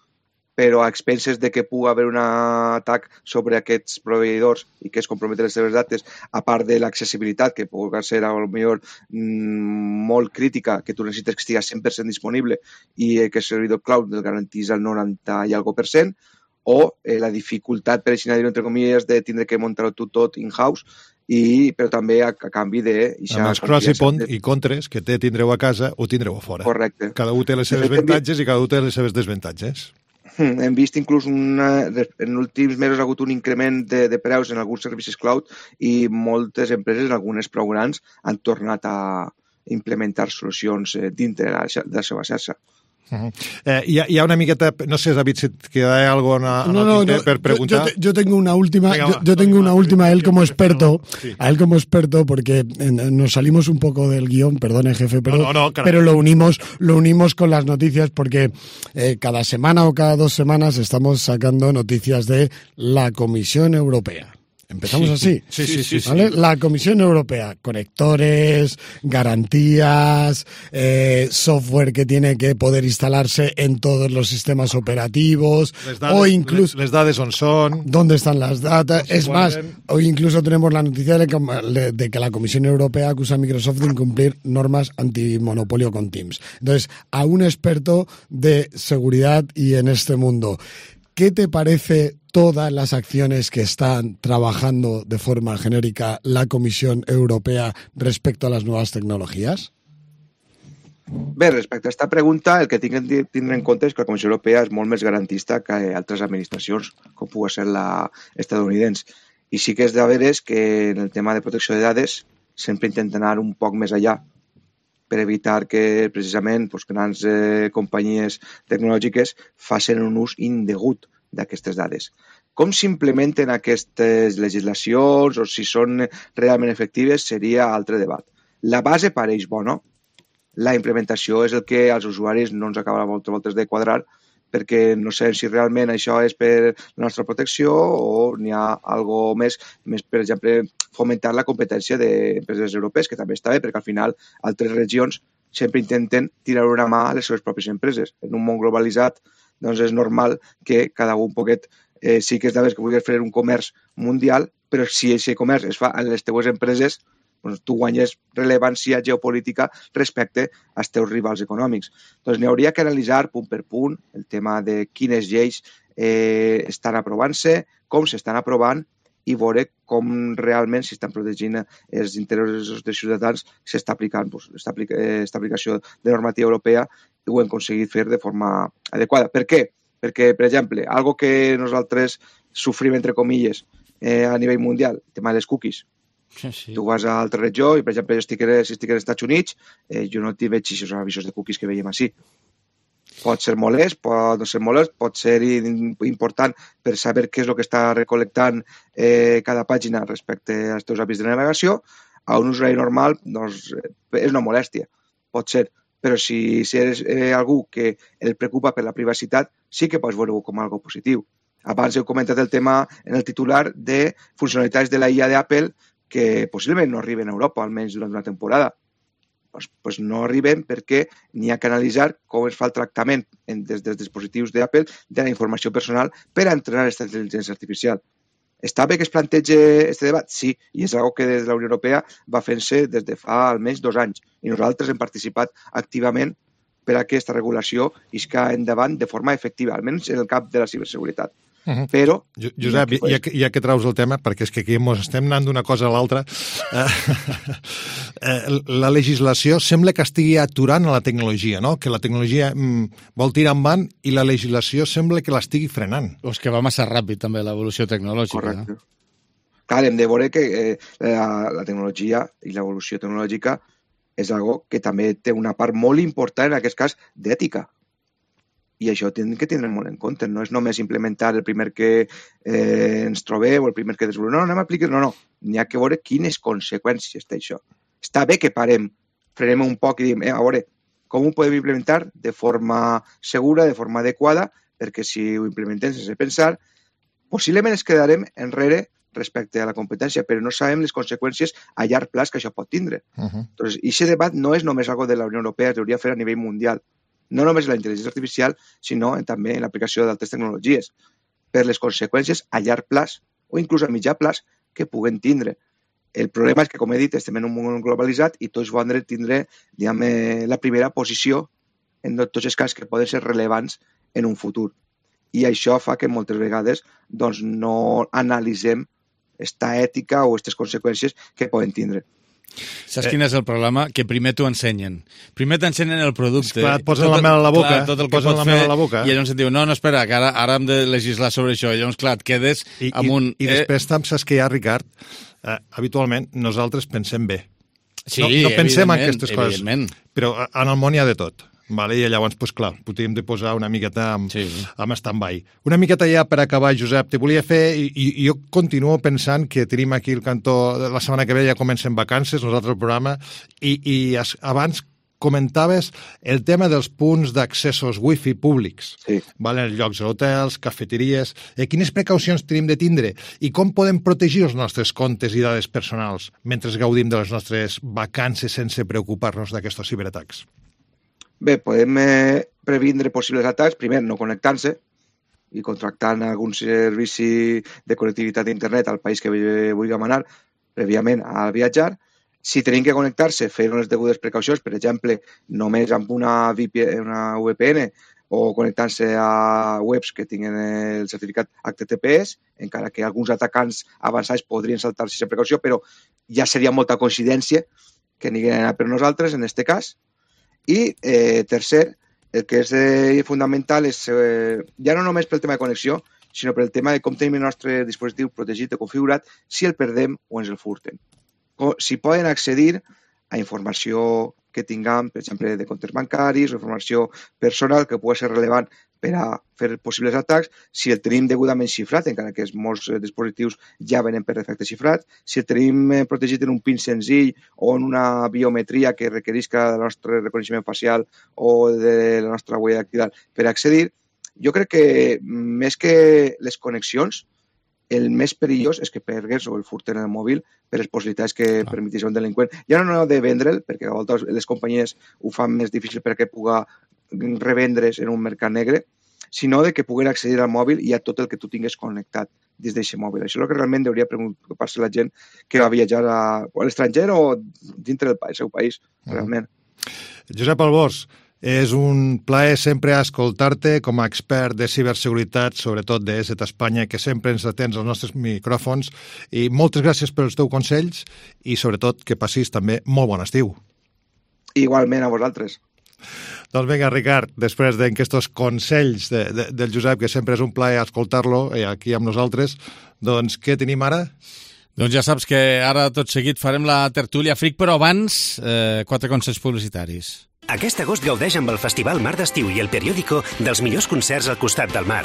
però a expenses de que pugui haver un atac sobre aquests proveïdors i que es comprometen les seves dates, a part de l'accessibilitat, que pugui ser a lo millor mmm, molt crítica, que tu necessites que estigui cent per cent disponible i eh, que el servidor cloud el garantís al noranta i algo per cent, o eh, la dificultat, per així dir-ho entre comilles, de tindre que muntar-ho tu tot in-house, i, però també a, a canvi de... Amb els pros i, pont, i contres que té tindreu a casa o tindreu a fora. Correcte. Cada un té les seves avantatges i cada un té les seves desavantatges. Hem vist inclús una, en els últims mesos ha hagut un increment de, de preus en alguns servicis cloud i moltes empreses, algunes prou grans, han tornat a implementar solucions dintre de la, de la seva xarxa. Uh-huh. eh, hi, ha, hi ha una miqueta, no sé, David, si et queda algo en el no, no, no, per preguntar. Yo, yo, yo tengo una última, Venga, yo, yo tengo una última a él como experto, sí. a él como experto, porque nos salimos un poco del guión, perdone jefe, pero, no, no, no, pero lo unimos, lo unimos con las noticias porque eh, cada semana o cada dos semanas estamos sacando noticias de la Comisión Europea. Empezamos así. Sí, sí, sí, sí, ¿vale? sí. La Comisión Europea, conectores, garantías, eh, software que tiene que poder instalarse en todos los sistemas operativos, les dades, o incluso... Les, les dades on són... ¿Dónde están las datas? Es más, hoy incluso tenemos la noticia de que, de que la Comisión Europea acusa a Microsoft de incumplir normas antimonopolio con Teams. Entonces, a un experto de seguridad y en este mundo, ¿qué te parece todas las acciones que están trabajando de forma genérica la Comisión Europea respecto a las nuevas tecnologías? Bé, respecte a aquesta pregunta, el que tinc de tindre en compte és que la Comissió Europea és molt més garantista que altres administracions, com pugui ser la estadounidense. I sí que és de veres que en el tema de protecció de dades sempre intenten anar un poc més allà per evitar que precisament pues, grans eh, companyies tecnològiques facin un ús indegut d'aquestes dades. Com s'implementen aquestes legislacions o si són realment efectives seria altre debat. La base pareix bona, la implementació és el que als usuaris no ens acaba moltes voltes de quadrar perquè no sé si realment això és per la nostra protecció o n'hi ha algo més, més per exemple, fomentar la competència d'empreses europees, que també està bé, perquè al final altres regions sempre intenten tirar una mà a les seves pròpies empreses. En un món globalitzat, doncs és normal que cada un poquet eh, sí que és de veres que vulguis fer un comerç mundial, però si aquest comerç es fa en les teues empreses, doncs tu guanyes rellevància geopolítica respecte als teus rivals econòmics. Doncs n'hi hauria que analitzar punt per punt el tema de quines lleis eh, estan aprovant-se, com s'estan aprovant i veure com realment s'estan protegint els interessos dels ciutadans, s'està aplicant doncs, esta aplicació de normativa europea i ho hem aconseguit fer de forma adequada. Per què? Perquè, per exemple, algo que nosaltres sofrim, entre comilles, eh, a nivell mundial, el tema de les cookies. Sí, sí. Tu vas a altra regió i, per exemple, jo estic, si estic als Estats Units, eh, jo no t'hi veig aquests avisos de cookies que veiem així. Pot ser molest, pot no ser molest, pot ser important per saber què és el que està recol·lectant eh, cada pàgina respecte als teus hàbits de navegació. A un usuari normal doncs, és una molèstia, pot ser. Però si, si eres eh, algú que el preocupa per la privacitat, sí que pots veure-ho com algo positiu. Abans heu comentat el tema en el titular de funcionalitats de la I A d'Apple que possiblement no arriben a Europa, almenys durant una temporada. Pues, pues no arriben perquè n'hi ha que analitzar com es fa el tractament en, des dels dispositius d'Apple de la informació personal per a entrenar aquesta intel·ligència artificial. Està bé que es plantegi aquest debat? Sí, i és una que des de la Unió Europea va fent-se des de fa almenys dos anys i nosaltres hem participat activament per a que aquesta regulació isca endavant de forma efectiva, almenys en el camp de la ciberseguretat. Uh-huh. Però... Josep, ja, ja, que, ja que traus el tema, perquè és que aquí ens estem anant d'una cosa a l'altra, eh, la legislació sembla que estigui aturant a la tecnologia, no? Que la tecnologia mm, vol tirar endavant i la legislació sembla que l'estigui frenant. O és que va massa ràpid també l'evolució tecnològica. Correcte. No? Clar, hem de veure que eh, la, la tecnologia i l'evolució tecnològica és algo que també té una part molt important, en aquest cas, d'ètica. I això hem de tindre molt en compte. No és només implementar el primer que eh, ens trobeu o el primer que desvolem. No, no anem a aplicar. No, no. N'hi ha que veure quines conseqüències té això. Està bé que parem, frenem un poc i diem, eh, a veure, com ho podem implementar de forma segura, de forma adequada, perquè si ho implementem sense pensar, possiblement ens quedarem enrere respecte a la competència, però no sabem les conseqüències a llarg plaç que això pot tindre. Uh-huh. Entonces, i aquest debat no és només algo de la Unió Europea, es hauria fer a nivell mundial. no només en la intel·ligència artificial, sinó en, també en l'aplicació d'altres tecnologies, per les conseqüències a llarg plaç o inclús a mitjà plaç que puguen tindre. El problema és que, com he dit, estem en un món globalitzat i tots volen tindre diguem, la primera posició en tots els casos que poden ser rellevants en un futur. I això fa que moltes vegades doncs, no analitzem esta ètica o aquestes conseqüències que poden tindre. Saps quin és el problema? Que primer t'ho ensenyen. Primer t'ensenyen el producte. Esclar, et posen la mel a la boca. Clar, tot el que posen pots la mel fer, a la boca. I llavors et diu, no, no, espera, que ara, ara hem de legislar sobre això. I llavors, clar, et quedes I, amb un... I, i després, eh... saps què hi ha, Ricard? Eh, habitualment, nosaltres pensem bé. Sí, no, no pensem en aquestes coses. Però en el món hi ha de tot. Vale? I llavors, pues, clar, podríem de posar una miqueta amb, sí. amb stand-by. Una miqueta ja per acabar, Josep, te volia fer, i, i jo continuo pensant que tenim aquí el cantó, la setmana que ve ja comencen vacances, nosaltres el programa, i, i abans comentaves el tema dels punts d'accessos wifi públics, sí. vale? En llocs d'hotels, cafeteries... Eh, quines precaucions tenim de tindre i com podem protegir els nostres comptes i dades personals mentre gaudim de les nostres vacances sense preocupar-nos d'aquests ciberatacs? Bé, podem eh, previndre possibles atacs, primer no connectant-se i contractant algun servici de connectivitat d'internet al país que vulguem anar prèviament al viatjar. Si tenim que connectar-se, fer unes degudes precaucions, per exemple, només amb una, V P N, una V P N o connectant-se a webs que tinguin el certificat H T T P S, encara que alguns atacants avançats podrien saltar-se aquesta precaució, però ja seria molta coincidència que n'hi hagués per nosaltres en aquest cas. I, eh, tercer, el que és eh, fundamental és, eh, ja no només pel tema de connexió, sinó pel tema de com tenim el nostre dispositiu protegit o configurat si el perdem o ens el furten. O, si poden accedir a informació que tinguem, per exemple, de comptes bancaris o informació personal que pugui ser rellevant per a fer possibles atacs, si el tenim degudament xifrat, encara que molts dispositius ja venen per defecte xifrat, si el tenim protegit en un PIN senzill o en una biometria que requerisca del nostre reconeixement facial o de la nostra huella dactilar per accedir, jo crec que més que les connexions, el més perillós és que pergues o el furten el mòbil per les possibilitats que ah. permetís un delinqüent. Ja no de vendre'l, perquè a voltes les companyies ho fan més difícil perquè puga revendre's en un mercat negre, sinó de que puguen accedir al mòbil i a tot el que tu tingues connectat des d'aquest mòbil. Això és el que realment hauria preocupar-se la gent que va viatjar a, a l'estranger o dintre del seu país, realment. Josep Albors, és un plaer sempre escoltar-te com a expert de ciberseguretat, sobretot de E S E T Espanya, que sempre ens atens als nostres micròfons, i moltes gràcies pels teus consells i sobretot que passis també molt bon estiu. Igualment a vosaltres. Doncs vinga, Ricard, després d'aquests consells de, de, del Josep, que sempre és un plaer escoltar-lo aquí amb nosaltres, doncs què tenim ara? Doncs ja saps que ara tot seguit farem la tertúlia Fric, però abans eh, quatre consells publicitaris. Aquest agost gaudeix amb el Festival Mar d'Estiu i el Periódico dels millors concerts al costat del mar.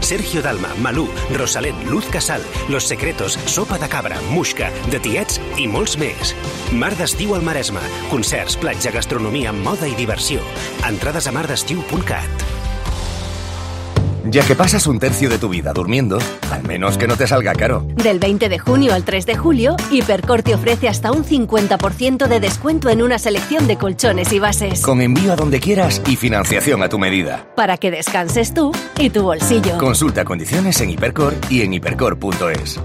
Sergio Dalma, Malú, Rosalén, Luz Casal, Los Secretos, Sopa de Cabra, Muixca, De Tiets i molts més. Mar d'Estiu al Maresme. Concerts, platja, gastronomia, moda i diversió. Entrades a mar d'estiu punt cat. Ya que pasas un tercio de tu vida durmiendo, al menos que no te salga caro. Del veinte de junio al tres de julio, Hipercor te ofrece hasta un cincuenta por ciento de descuento en una selección de colchones y bases. Con envío a donde quieras y financiación a tu medida. Para que descanses tú y tu bolsillo. Consulta condiciones en Hipercor y en hipercor punto es.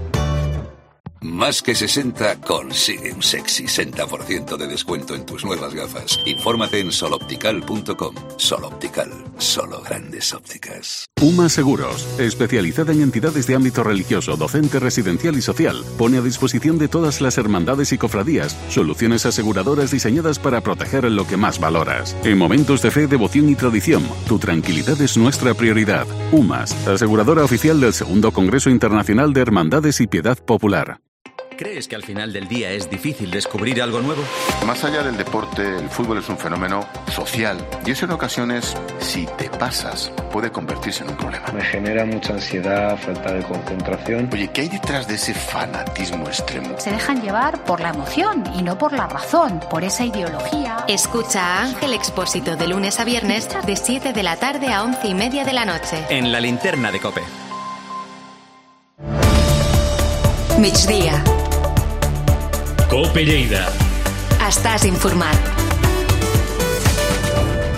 Más que sesenta consigue un sexy sesenta por ciento de descuento en tus nuevas gafas. Infórmate en soloptical punto com. Soloptical, solo grandes ópticas. UMA Seguros, especializada en entidades de ámbito religioso, docente, residencial y social, pone a disposición de todas las hermandades y cofradías soluciones aseguradoras diseñadas para proteger lo que más valoras. En momentos de fe, devoción y tradición, tu tranquilidad es nuestra prioridad. UMAS, aseguradora oficial del segundo Congreso Internacional de Hermandades y Piedad Popular. ¿Crees que al final del día es difícil descubrir algo nuevo? Más allá del deporte, el fútbol es un fenómeno social y eso en ocasiones, si te pasas, puede convertirse en un problema. Me genera mucha ansiedad, falta de concentración. Oye, ¿qué hay detrás de ese fanatismo extremo? Se dejan llevar por la emoción y no por la razón, por esa ideología. Escucha a Ángel Expósito de lunes a viernes de siete de la tarde a once y media de la noche. En la linterna de COPE. Migdia. COPE Lleida. Estàs informat.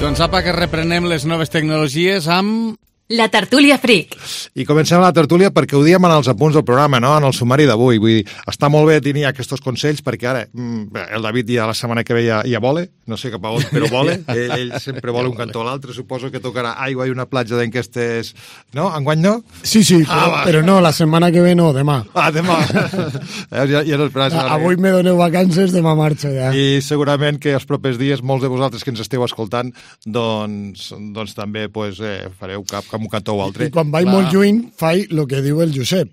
Doncs apa, que reprenem les noves tecnologies amb... La tertúlia Freak. I comencem la tertúlia perquè ho diem en els apunts del programa, no? En el sumari d'avui. Vull dir, està molt bé tenir aquests consells perquè ara el David ja la setmana que ve ja, ja vole, no sé cap a on, però vole. Ell, ell sempre vola un cantó a l'altre. Suposo que tocarà aigua i una platja d'enquestes... No? Enguany no? Sí, sí, ah, però, però no, la setmana que ve no, demà. Ah, demà. ja, ja no esperàs. Ah, avui me doneu vacances, demà marxo ja. I segurament que els propers dies molts de vosaltres que ens esteu escoltant doncs, doncs també pues, eh, fareu cap com un cantó o altre. I quan vaig molt lluny, faig el que diu el Josep.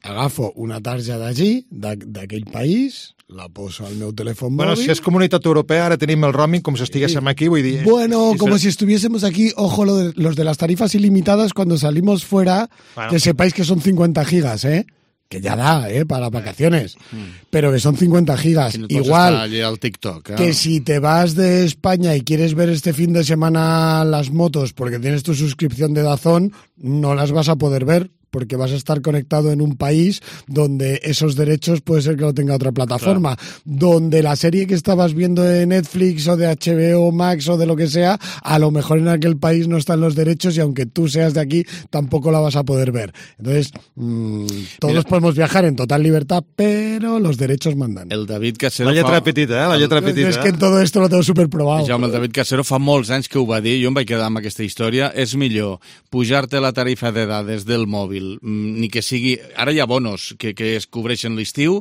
Agafo una tarja d'allí, d'aquell país, la poso al meu telèfon bueno, mòbil... Si és comunitat europea, ara tenim el roaming com si estiguéssim aquí, vull dir... Bueno, como si estuviésemos aquí, ojo, lo de, los de las tarifas ilimitadas, cuando salimos fuera, bueno, que sepáis que son cincuenta gigas, ¿eh? Que ya da, ¿eh? Para vacaciones. Mm. Pero que son cincuenta gigas. No igual al TikTok, ¿eh? Que si te vas de España y quieres ver este fin de semana las motos porque tienes tu suscripción de DAZN, no las vas a poder ver porque vas a estar conectado en un país donde esos derechos puede ser que lo tenga otra plataforma, claro. Donde la serie que estabas viendo de Netflix o de H B O Max o de lo que sea, a lo mejor en aquel país no están los derechos y aunque tú seas de aquí, tampoco la vas a poder ver. Entonces, mmm, todos Mira. podemos viajar en total libertad, pero los derechos mandan. El David Casero... La lletra fa... petita, eh? La lletra petita. Es que en todo esto lo tengo superprobado. Jaume, el David Casero fa molts anys que ho va dir, jo em vaig quedar amb aquesta història, és millor pujar-te la tarifa de dades del mòbil, ni que sigui... Ara hi ha bonos que, que es cobreixen l'estiu,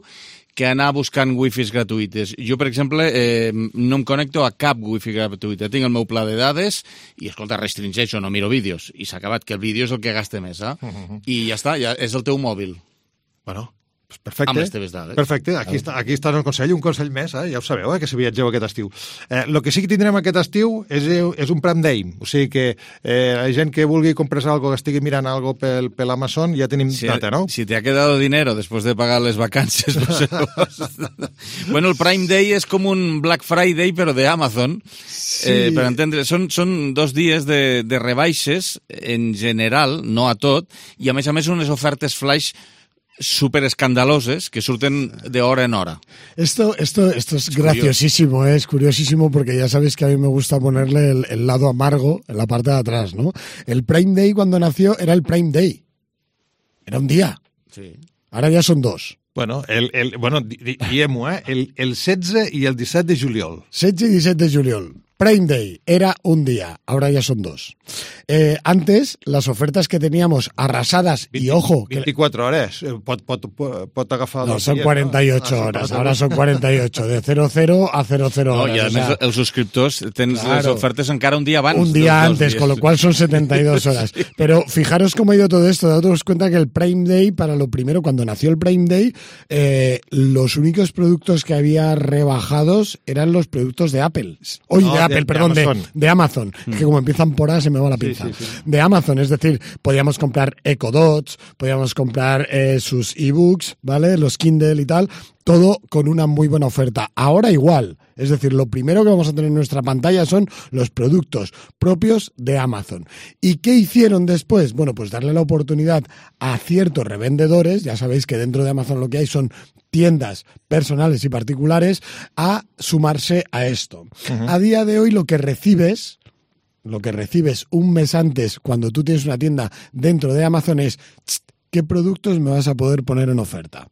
que anar buscant wifis gratuïtes. Jo, per exemple, eh, no em connecto a cap wifi gratuïta. Tinc el meu pla de dades i, escolta, restringeixo, no miro vídeos. I s'ha acabat, que el vídeo és el que gaste més, eh? Uh-huh. I ja està, ja és el teu mòbil. Bueno... Pues perfecte, amb les teves dades. Perfecte, aquí, està, aquí està el consell, un consell més, eh? Ja ho sabeu, eh? Que si viatgeu aquest estiu. Eh, el que sí que tindrem aquest estiu és, és un Prime Day, o sigui que eh, la gent que vulgui comprar algo, que estigui mirant algo pel, pel Amazon, ja tenim si, data, no? Si te ha quedado dinero després de pagar les vacances, no sé. Bueno, el Prime Day és com un Black Friday, però de Amazon, sí. eh, per entendre, són, són dos dies de, de rebaixes en general, no a tot, i a més a més unes ofertes flash súper escandaloses que surten de hora en hora. Esto, esto, esto es, es graciosísimo, ¿eh? Es curiosísimo porque ya sabéis que a mí me gusta ponerle el, el lado amargo en la parte de atrás, ¿no? El Prime Day cuando nació era el Prime Day. Era un día. Sí. Ahora ya son dos. Bueno, el, el, bueno diem-ho, eh? El, el setze i el disset de juliol. setze y diecisiete de juliol. Prime Day era un día, ahora ya son dos. Eh, antes, las ofertas que teníamos arrasadas, veinte, y ojo... veinticuatro horas, pot, pot, pot, pot agafar... No, son cuarenta y ocho ¿no? horas, ahora son cuarenta y ocho, de cero cero a cero cero no, horas. Y además, o sea, els subscriptors tens claro, les ofertes encara un día abans. Un día antes, con lo cual son setenta y dos horas. Sí. Pero fijaros cómo ha ido todo esto, daros cuenta que el Prime Day, para lo primero, cuando nació el Prime Day, eh, los únicos productos que había rebajados eran los productos de Apple. Hoy no, de Apple, de, perdón, de Amazon. De, de Amazon. Mm. Que como empiezan por A se me va la pinza. Sí, sí, sí. De Amazon, es decir, podíamos comprar Echo Dots, podíamos comprar eh, sus ebooks, ¿vale? Los Kindle y tal, todo con una muy buena oferta. Ahora igual. Es decir, lo primero que vamos a tener en nuestra pantalla son los productos propios de Amazon. ¿Y qué hicieron después? Bueno, pues darle la oportunidad a ciertos revendedores, ya sabéis que dentro de Amazon lo que hay son tiendas personales y particulares, a sumarse a esto. Uh-huh. A día de hoy lo que recibes, lo que recibes un mes antes cuando tú tienes una tienda dentro de Amazon es ¿qué productos me vas a poder poner en oferta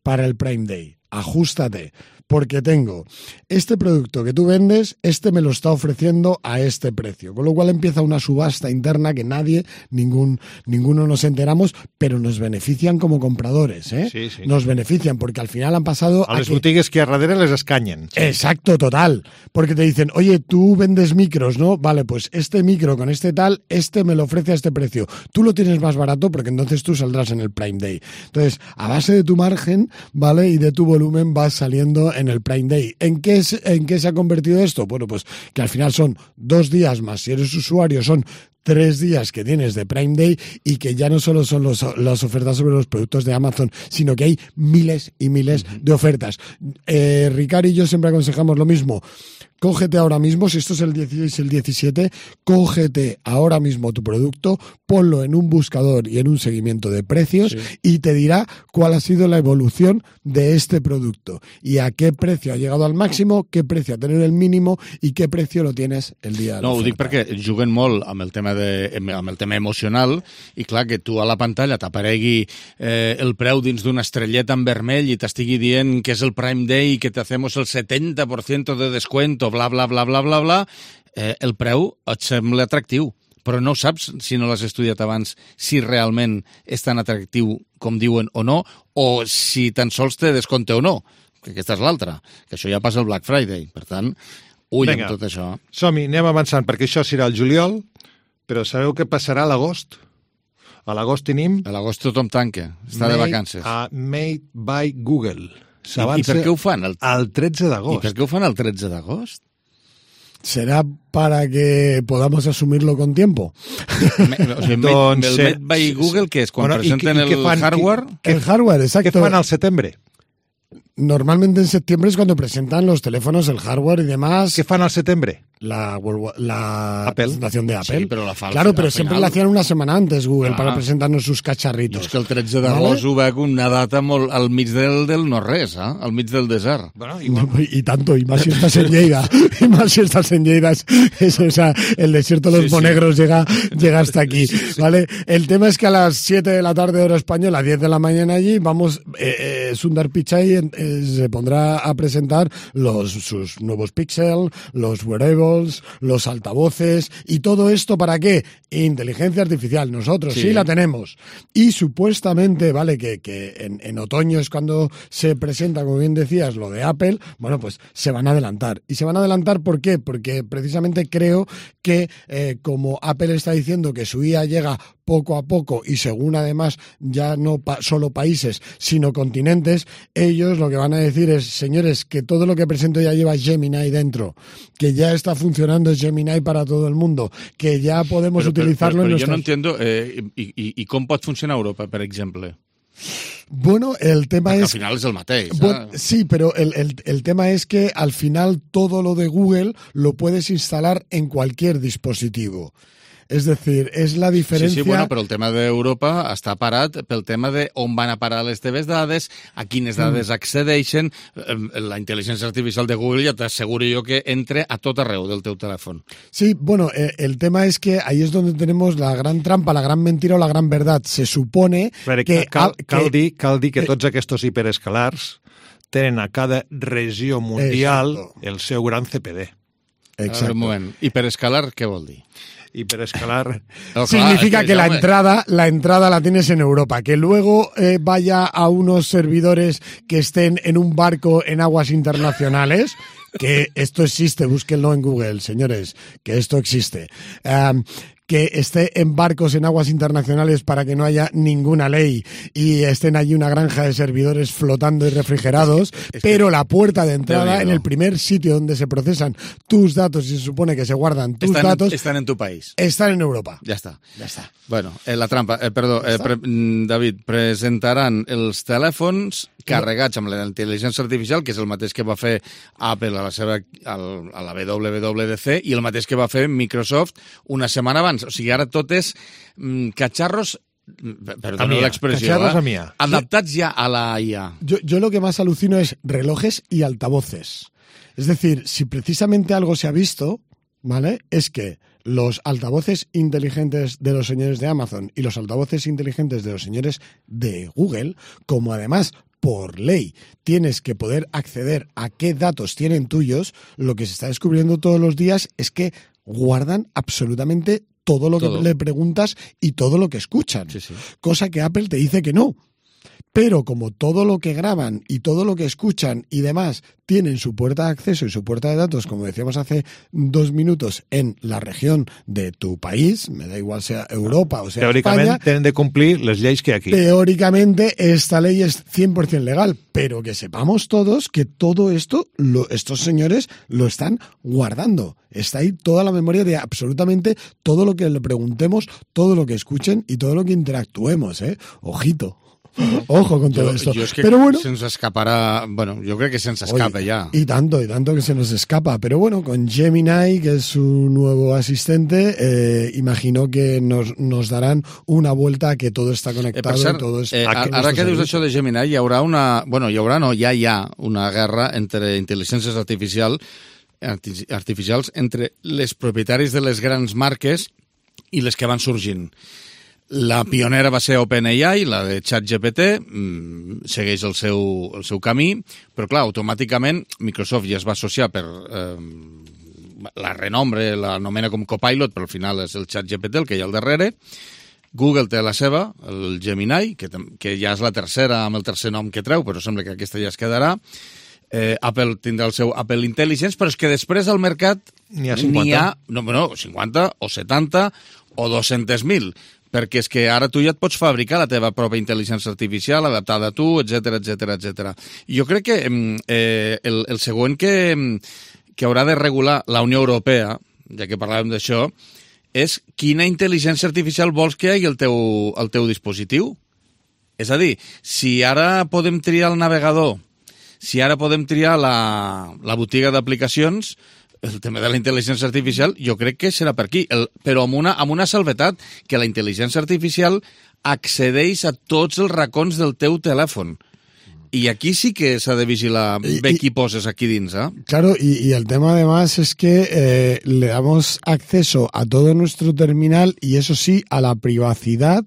para el Prime Day? Ajústate. Porque tengo este producto que tú vendes, este me lo está ofreciendo a este precio. Con lo cual empieza una subasta interna que nadie, ningún, ninguno nos enteramos, pero nos benefician como compradores, ¿eh? Sí, sí. Nos benefician porque al final han pasado... A, a les que... botigues que a darrere les escanyen. Sí. Exacto, total. Porque te dicen, oye, tú vendes micros, ¿no? Vale, pues este micro con este tal, este me lo ofrece a este precio. Tú lo tienes más barato porque entonces tú saldrás en el Prime Day. Entonces, a base de tu margen, ¿vale? Y de tu volumen vas saliendo en el Prime Day. ¿En qué, es, ¿En qué se ha convertido esto? Bueno, pues que al final son dos días más. Si eres usuario, son tres días que tienes de Prime Day y que ya no solo son los, las ofertas sobre los productos de Amazon, sino que hay miles y miles uh-huh. de ofertas. Eh, Ricard y yo siempre aconsejamos lo mismo. cógete ahora mismo, si esto es el dieciséis, el diecisiete, cógete ahora mismo tu producto, ponlo en un buscador y en un seguimiento de precios, sí, y te dirá cuál ha sido la evolución de este producto y a qué precio ha llegado al máximo, qué precio ha tenido el mínimo y qué precio lo tienes el dia de No, ho l'oferta. dic perquè juguen molt amb el tema de, amb el tema emocional i clar que tu a la pantalla t'aparegui eh, el preu dins d'una estrelleta en vermell i t'estigui dient que és el Prime Day i que te hacemos el setenta por ciento de descuento, bla, bla, bla, bla, bla, bla, eh, el preu et sembla atractiu, però no saps, si no l'has estudiat abans, si realment és tan atractiu com diuen o no, o si tan sols te descompte o no, que aquesta és l'altra, que això ja passa el Black Friday. Per tant, ull Vinga, amb tot això. Som-hi, anem avançant, perquè això serà el juliol, però sabeu què passarà a l'agost? A l'agost tenim... A l'agost tothom tanca, està de vacances. A Made by Google. I, I per què ho fan? El, el tretze d'agost. I per què ho fan el tretze d'agost? ¿Será para que podamos asumirlo con tiempo? Me, o sigui, doncs, el Made by Google, què és? Quan bueno, presenten i, i el fan, hardware? Què, el hardware, exacto. ¿Qué fan al septiembre? Normalmente en septiembre es cuando presentan los teléfonos, el hardware y demás. ¿Qué fan al septiembre? La, la Apple. presentación de Apple. Sí, pero la falsa, claro, pero al siempre final. la hacían una semana antes Google Ah. para presentarnos sus cacharritos. És que el tretze d'agost ¿Vale? ho veig una data molt al mig del, del no-res, eh? Al mig del desert. Bueno, igual. Y tanto, y más si estás en Lleida. Y más si estás en Lleida. Es, es, o sea, el desierto de los Sí, sí. monegros llega, llega hasta aquí. ¿Vale? El tema es que a las siete de la tarde, hora española, diez de la mañana allí, vamos, eh, eh, Sundar Pichai eh, se pondrá a presentar los, sus nuevos Pixel, los wearables, los altavoces, y todo esto ¿para qué? Inteligencia artificial. Nosotros sí, Sí. la tenemos. Y supuestamente, vale, que, que en, en otoño es cuando se presenta, como bien decías, lo de Apple, bueno, pues se van a adelantar. ¿Y se van a adelantar por qué? Porque precisamente creo que eh, como Apple está diciendo que su I A llega poco a poco y según además ya no pa- solo países, sino continentes, ellos lo que van a decir es, señores, que todo lo que presento ya lleva Gemini dentro, que ya está funcionando Gemini para todo el mundo, que ya podemos Però, però, utilizarlo però, en però jo no nuestras... entiendo eh, i, i, i com pot funcionar Europa, per exemple. Bueno, el tema Perquè es... al final és el mateix. Bueno, eh? sí, pero el, el, el tema es que al final todo lo de Google lo puedes instalar en cualquier dispositivo. Es decir, es la diferencia... Sí, sí, bueno, però el tema d'Europa està parat pel tema de on van a parar les teves dades, a quines dades mm. accedeixen. La intel·ligència artificial de Google ja t'asseguro jo que entra a tot arreu del teu telèfon. Sí, bueno, eh, el tema es que ahí es donde tenemos la gran trampa, la gran mentira o la gran verdad. Se supone Veure, que... cal, cal, que dir, cal dir que tots aquests hiperescalars tenen a cada regió mundial Exacto. el seu gran C P D. A veure, un moment. Hiperescalar, què vol dir? Hiperescalar... No, clar, Significa és que la home, entrada, la entrada la tienes en Europa. Que luego eh, vaya a unos servidores que estén en un barco en aguas internacionales, que esto existe, búsquenlo en Google, señores, que esto existe. Um, que esté en barcos en aguas internacionales para que no haya ninguna ley y estén allí una granja de servidores flotando y refrigerados, es que, pero la puerta de entrada Déu-n'hi-do. en el primer sitio donde se procesan tus datos y se supone que se guardan tus estan, datos, estan en tu país. están en Europa. Ja està. Ya está. Bueno, eh, la trampa, eh, perdó, eh, pre mm, David, presentaran els telèfons carregats amb la intel·ligència artificial, que és el mateix que va fer Apple a la, seva, al, a la W W D C i el mateix que va fer Microsoft una setmana abans. O sigui, ara tot és mm, catxarros, perdoneu l'expressió, catxarros a eh? mia. adaptats ja a la I A. Yo, yo lo que más alucino es relojes y altavoces. Es decir, si precisamente algo se ha visto, ¿vale? Es que los altavoces inteligentes de los señores de Amazon y los altavoces inteligentes de los señores de Google, como además por ley tienes que poder acceder a qué datos tienen tuyos, lo que se está descubriendo todos los días es que guardan absolutamente todo lo Todo. que le preguntas y todo lo que escuchan. Sí, sí. Cosa que Apple te dice que no. Pero como todo lo que graban y todo lo que escuchan y demás tienen su puerta de acceso y su puerta de datos, como decíamos hace dos minutos, en la región de tu país, me da igual sea Europa o sea Teòricament España, tenen de complir les lleis que hi ha aquí. teóricamente esta ley es cien por ciento legal, pero que sepamos todos que todo esto, lo, estos señores lo están guardando. Está ahí toda la memoria de absolutamente todo lo que le preguntemos, todo lo que escuchen y todo lo que interactuemos, ¿eh? Ojito. Ojo con todo jo, esto. Jo és que pero bueno, se'ns escaparà... Bueno, jo crec que se'ns escapa oye, ya. Y tanto, y tanto que se nos escapa. Pero bueno, con Gemini, que es su nuevo asistente, eh, imagino que nos, nos darán una vuelta a que todo está conectado. Eh, per cert, y todo es eh, ara que dius això de Gemini, hi haurà una... Bueno, hi haurà, no, ja hi ha una guerra entre intel·ligències artificial, artificials entre les propietaris de les grans marques i les que van sorgint. La pionera va ser OpenAI, la de ChatGPT, mmm, segueix el seu, el seu camí, però clar, automàticament Microsoft ja es va associar per... Eh, la renombre, l'anomena com Copilot, però al final és el ChatGPT el que hi ha al darrere. Google té la seva, el Gemini, que, que ja és la tercera amb el tercer nom que treu, però sembla que aquesta ja es quedarà. Eh, Apple tindrà el seu Apple Intelligence, però és que després al mercat n'hi ha cinquanta. N'hi ha, no, no, cinquanta o setanta o dos-cents mil, perquè és que ara tu ja et pots fabricar la teva pròpia intel·ligència artificial adaptada a tu, etcètera, etcètera, etcètera. I jo crec que eh, el, el següent que, que haurà de regular la Unió Europea, ja que parlàvem d'això, és quina intel·ligència artificial vols que hi hagi al teu, al teu dispositiu. És a dir, si ara podem triar el navegador, si ara podem triar la, la botiga d'aplicacions, el tema de la intel·ligència artificial jo crec que serà per aquí, el, però amb una, amb una salvetat, que la intel·ligència artificial accedeix a tots els racons del teu telèfon. Y aquí sí que s'ha de vigilar bé qui poses aquí dins, ¿eh? Claro, y, y el tema además es que eh, le damos acceso a todo nuestro terminal y eso sí, a la privacidad.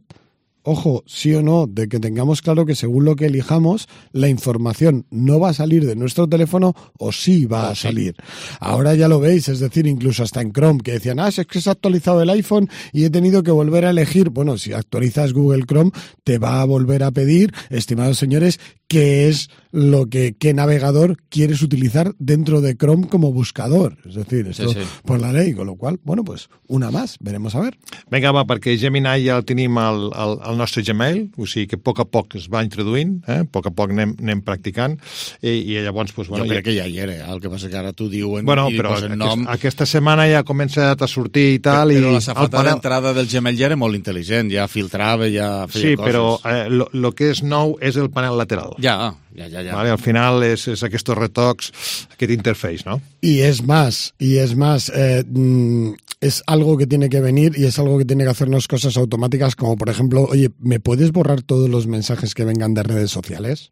Ojo, sí o no, de que tengamos claro que según lo que elijamos, la información no va a salir de nuestro teléfono o sí va a salir. Ahora ya lo veis, es decir, incluso hasta en Chrome, que decían, ah, es que se ha actualizado el iPhone y he tenido que volver a elegir. Bueno, si actualizas Google Chrome, te va a volver a pedir, estimados señores, qué es lo que qué navegador quieres utilizar dentro de Chrome como buscador. Es decir, esto sí, sí. por la ley, con lo cual, bueno, pues una más, veremos a ver. Vinga, va, perquè Gemini ja el tenim al, al, al nostre Gmail, o sigui que a poc a poc es va introduint, eh? a poc a poc anem, anem practicant, i, i llavors... Pues, bueno, jo crec ja... que ja hi era, el que passa que ara t'ho diuen bueno, i però posen aquest, nom. Aquesta setmana ja ha començat a sortir i tal... Però i la safata panel... d'entrada del Gmail ja era molt intel·ligent, ja filtrava, ja feia sí, coses. Sí, però eh, lo, lo que és nou és el panel lateral. Ja, ja, ja. ja. Vale, al final és, és aquests retocs, aquest interface, ¿no? Y es más, y es más, eh, mm, es algo que tiene que venir y es algo que tiene que hacernos cosas automáticas, como por ejemplo, oye, ¿me puedes borrar todos los mensajes que vengan de redes sociales?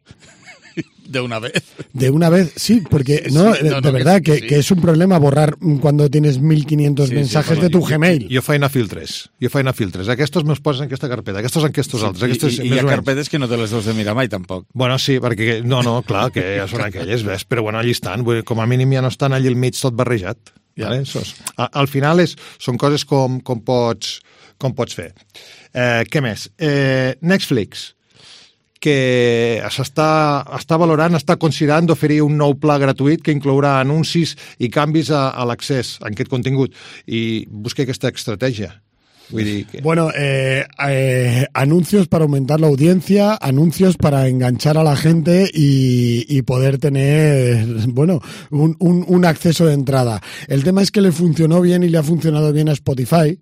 De una vez. De una vez, sí, porque no, sí, no, de no, verdad que, que, sí. que es un problema borrar cuando tienes mil quinientos sí, mensajes sí, de tu jo, Gmail. Jo feina filtres, jo feina filtres. Aquestos me'ls posen en aquesta carpeta, aquestos en aquestos Sí, altres. Aquestos, I, i hi ha carpetes que no te les has de mirar mai, tampoc. Bueno, sí, perquè... No, no, clar, que ja són aquelles, ves? Però bueno, allí estan. Vull dir, com a mínim ja no estan allí al mig tot barrejat. Ja. Vale? Sos, a, al final és, són coses com, com, pots, com pots fer. Eh, què més? Eh, Netflix, que s'està està valorant, està considerant d'oferir un nou pla gratuït que inclourà anuncis i canvis a, a l'accés a aquest contingut. I busca aquesta estratègia. Vull dir que... Bueno, eh, eh, anuncios para aumentar la audiencia, anuncios para enganchar a la gente y, y poder tener, bueno, un, un, un acceso de entrada. El tema es que le funcionó bien y le ha funcionado bien a Spotify,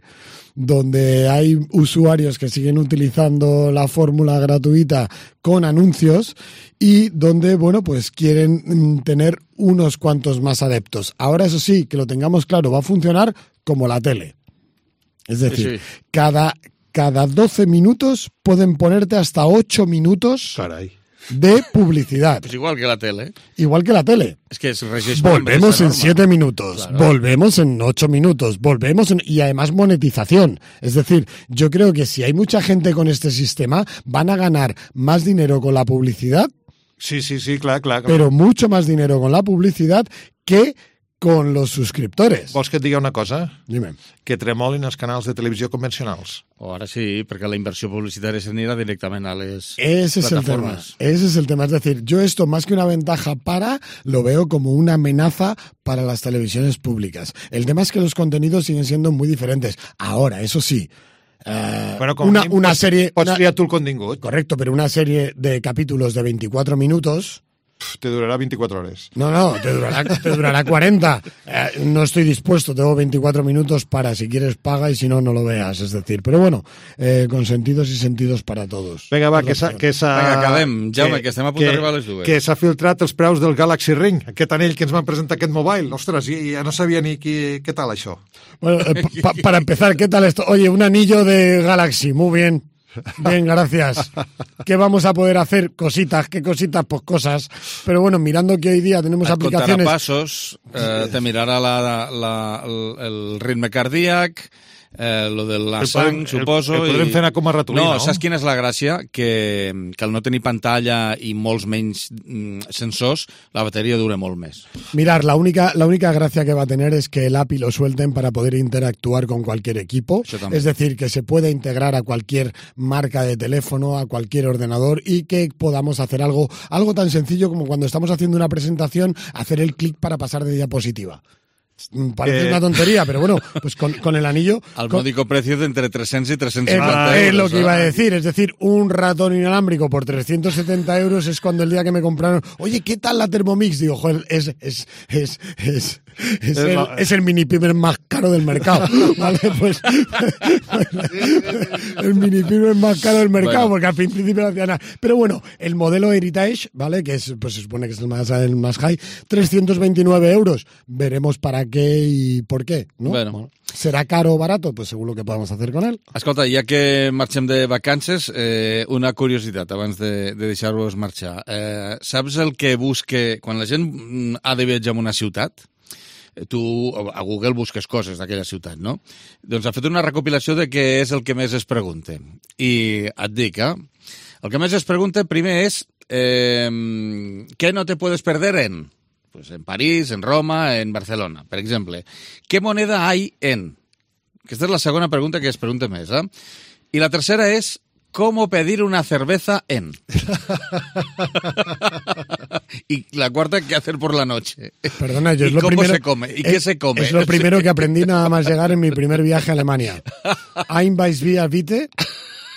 donde hay usuarios que siguen utilizando la fórmula gratuita con anuncios y donde, bueno, pues quieren tener unos cuantos más adeptos. Ahora, eso sí, que lo tengamos claro, va a funcionar como la tele. Es decir, sí, sí. Cada, cada doce minutos pueden ponerte hasta ocho minutos Caray. de publicidad. Pues igual que la tele. Igual que la tele. Es que es regis volvemos en siete minutos, claro. Volvemos en ocho minutos, volvemos en... y además monetización. Es decir, yo creo que si hay mucha gente con este sistema, van a ganar más dinero con la publicidad. Sí, sí, sí, clar, clar. Pero mucho más dinero con la publicidad que con los suscriptores. Vols que et digui una cosa? Dime. Que tremolin els canals de televisió convencionals. O ara sí, perquè la inversió publicitària s'anirà directament a les Ese plataformas. Es el tema. Ese es el tema. Es decir, yo esto más que una ventaja para, lo veo como una amenaza para las televisiones públicas. El tema es que los contenidos siguen siendo muy diferentes. Ahora, eso sí, Uh, bueno, com una, una serie... Pots una, triar tu el contingut. Correcto, pero una serie de capítulos de veinticuatro minutos Te durará veinticuatro horas. No, no, te durará, te durará cuarenta. Eh, no estoy dispuesto, tengo veinticuatro minutos para, si quieres paga y si no, no lo veas. Es decir, pero bueno, eh, con sentidos y sentidos para todos. Vinga, va, que s'ha... Que s'ha... Vinga, acabem. Jaume, que, que estem a punt d'arribar a les dues. Que s'ha filtrat els preus del Galaxy Ring, aquest anell que ens van presentar aquest mobile. Ostres, ja no sabia ni qui, què tal això. Bueno, eh, pa, para empezar, ¿qué tal esto? Oye, un anillo de Galaxy, muy bien. Bien, gracias. ¿Qué vamos a poder hacer? Cositas, ¿qué cositas? Pues cosas. Pero bueno, mirando que hoy día tenemos et aplicaciones... Et contarà passos, eh, te mirarà la, la, el, el ritme cardíac, eh, lo de la sang, suposo... El, el podrem fer anar com a ratolí, no? No, saps quina és la gràcia? Que, que al no tenir pantalla i molts menys mm, sensors, la batería dure molt més. Mirar, la única, la única gracia que va a tener es que el A P I lo suelten para poder interactuar con cualquier equipo. Es decir, que se puede integrar a cualquier marca de teléfono, a cualquier ordenador y que podamos hacer algo, algo tan sencillo como cuando estamos haciendo una presentación, hacer el clic para pasar de diapositiva. Parece eh... una tontería, pero bueno, pues con, con el anillo... Al con... módico precio de entre trescientos y trescientos cincuenta eh, euros. Es lo que iba a decir, es decir, un ratón inalámbrico por trescientos setenta euros es cuando el día que me compraron, oye, ¿qué tal la Thermomix? Digo, joder, es, es, es, es, es, el, la... es el mini pimer más caro del mercado, ¿vale? Pues el mini pimer más caro del mercado, bueno. Porque al principio no hacía nada. Pero bueno, el modelo Heritage, ¿vale? Que es, pues se supone que es el más, el más high, trescientos veintinueve euros. Veremos para qué y por qué, ¿no? Bueno. Bueno, ¿será caro o barato? Pues según lo que podamos hacer con él. Escolta, ja que marxem de vacances, eh, una curiositat abans de, de deixar-vos marxar. Eh, saps el que busque... Quan la gent ha de viatjar a una ciutat, tu a Google busques coses d'aquella ciutat, no? Doncs ha fet una recopilació de què és el que més es pregunta. I et dic, eh? El que més es pregunta primer és eh, què no te puedes perder en... Pues en París, en Roma, en Barcelona, per exemple. ¿Qué moneda hay en? Aquesta és la segona pregunta que es pregunta més, eh? I la tercera és ¿cómo pedir una cerveza en? Y la cuarta, ¿qué hacer por la noche? Perdona, yo es ¿Y lo cómo primero, se come? ¿Y es, qué se come? Es lo primero que aprendí nada más llegar en mi primer viaje a Alemania. Ein Weissbier bitte.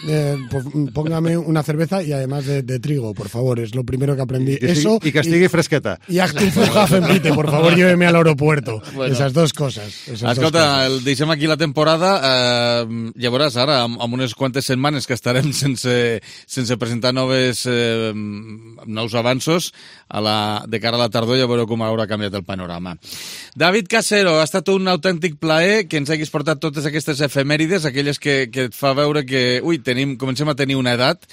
Eh, pues póngame una cerveza y además de, de trigo, por favor, es lo primero que aprendí. Y que Eso y que estigui fresqueta. Y Achtung-Flughafen-Bitte, por favor, lléveme al aeropuerto. Bueno, esas dos cosas. Esas escolta, dos cosas. Deixem aquí la temporada. Eh, ja veuràs ara, amb, amb unes quantes setmanes que estarem sense, sense presentar noves, eh, nous avanços a la, de cara a la tardor, ja veureu com haurà canviat el panorama. David Casero, ha estat un autèntic plaer que ens haguis portat totes aquestes efemèrides, aquelles que, que et fa veure que, ui, tenim, comencem a tenir una edat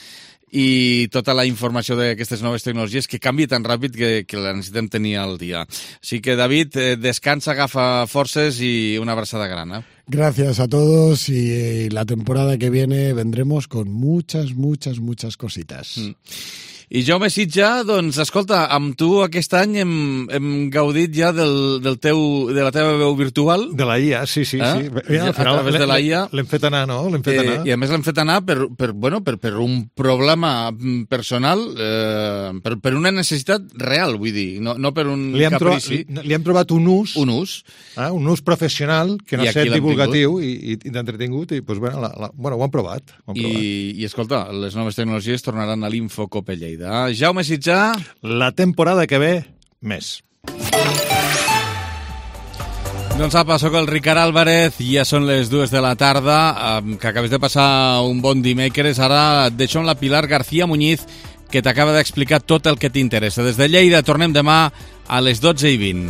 i tota la informació d'aquestes noves tecnologies que canvia tan ràpid que, que la necessitem tenir al dia. Així que, David, eh, descansa, agafa forces i una abraçada gran. Eh? Gracias a todos y la temporada que viene vendremos con muchas, muchas, muchas cositas. Mm. I Jaume Sitja, doncs, escolta, amb tu aquest any hem, hem gaudit ja del, del teu, de la teva veu virtual. De la I A, sí, sí. Eh? sí. Ja, a través de la I A. L'hem fet anar, no? L'hem fet eh, anar. I a més l'hem fet anar per, per, bueno, per, per un problema personal, eh, per, per una necessitat real, vull dir, no, no per un li caprici. Trobat, li hem trobat un ús, un ús, eh, un ús professional que no ha estat divulgatiu i, i, i d'entretingut, i pues, bueno, la, la, bueno, ho han provat. Ho han provat. I, I, escolta, les noves tecnologies tornaran a l'Infocope Lleida. Jaume Sitjà. La temporada que ve, més. Doncs apa, sóc el Ricard Álvarez, ja són les dues de la tarda, que acabes de passar un bon dimecres. Ara et deixo amb la Pilar García Muñiz, que t'acaba d'explicar tot el que t'interessa. Des de Lleida tornem demà a les dotze i vint.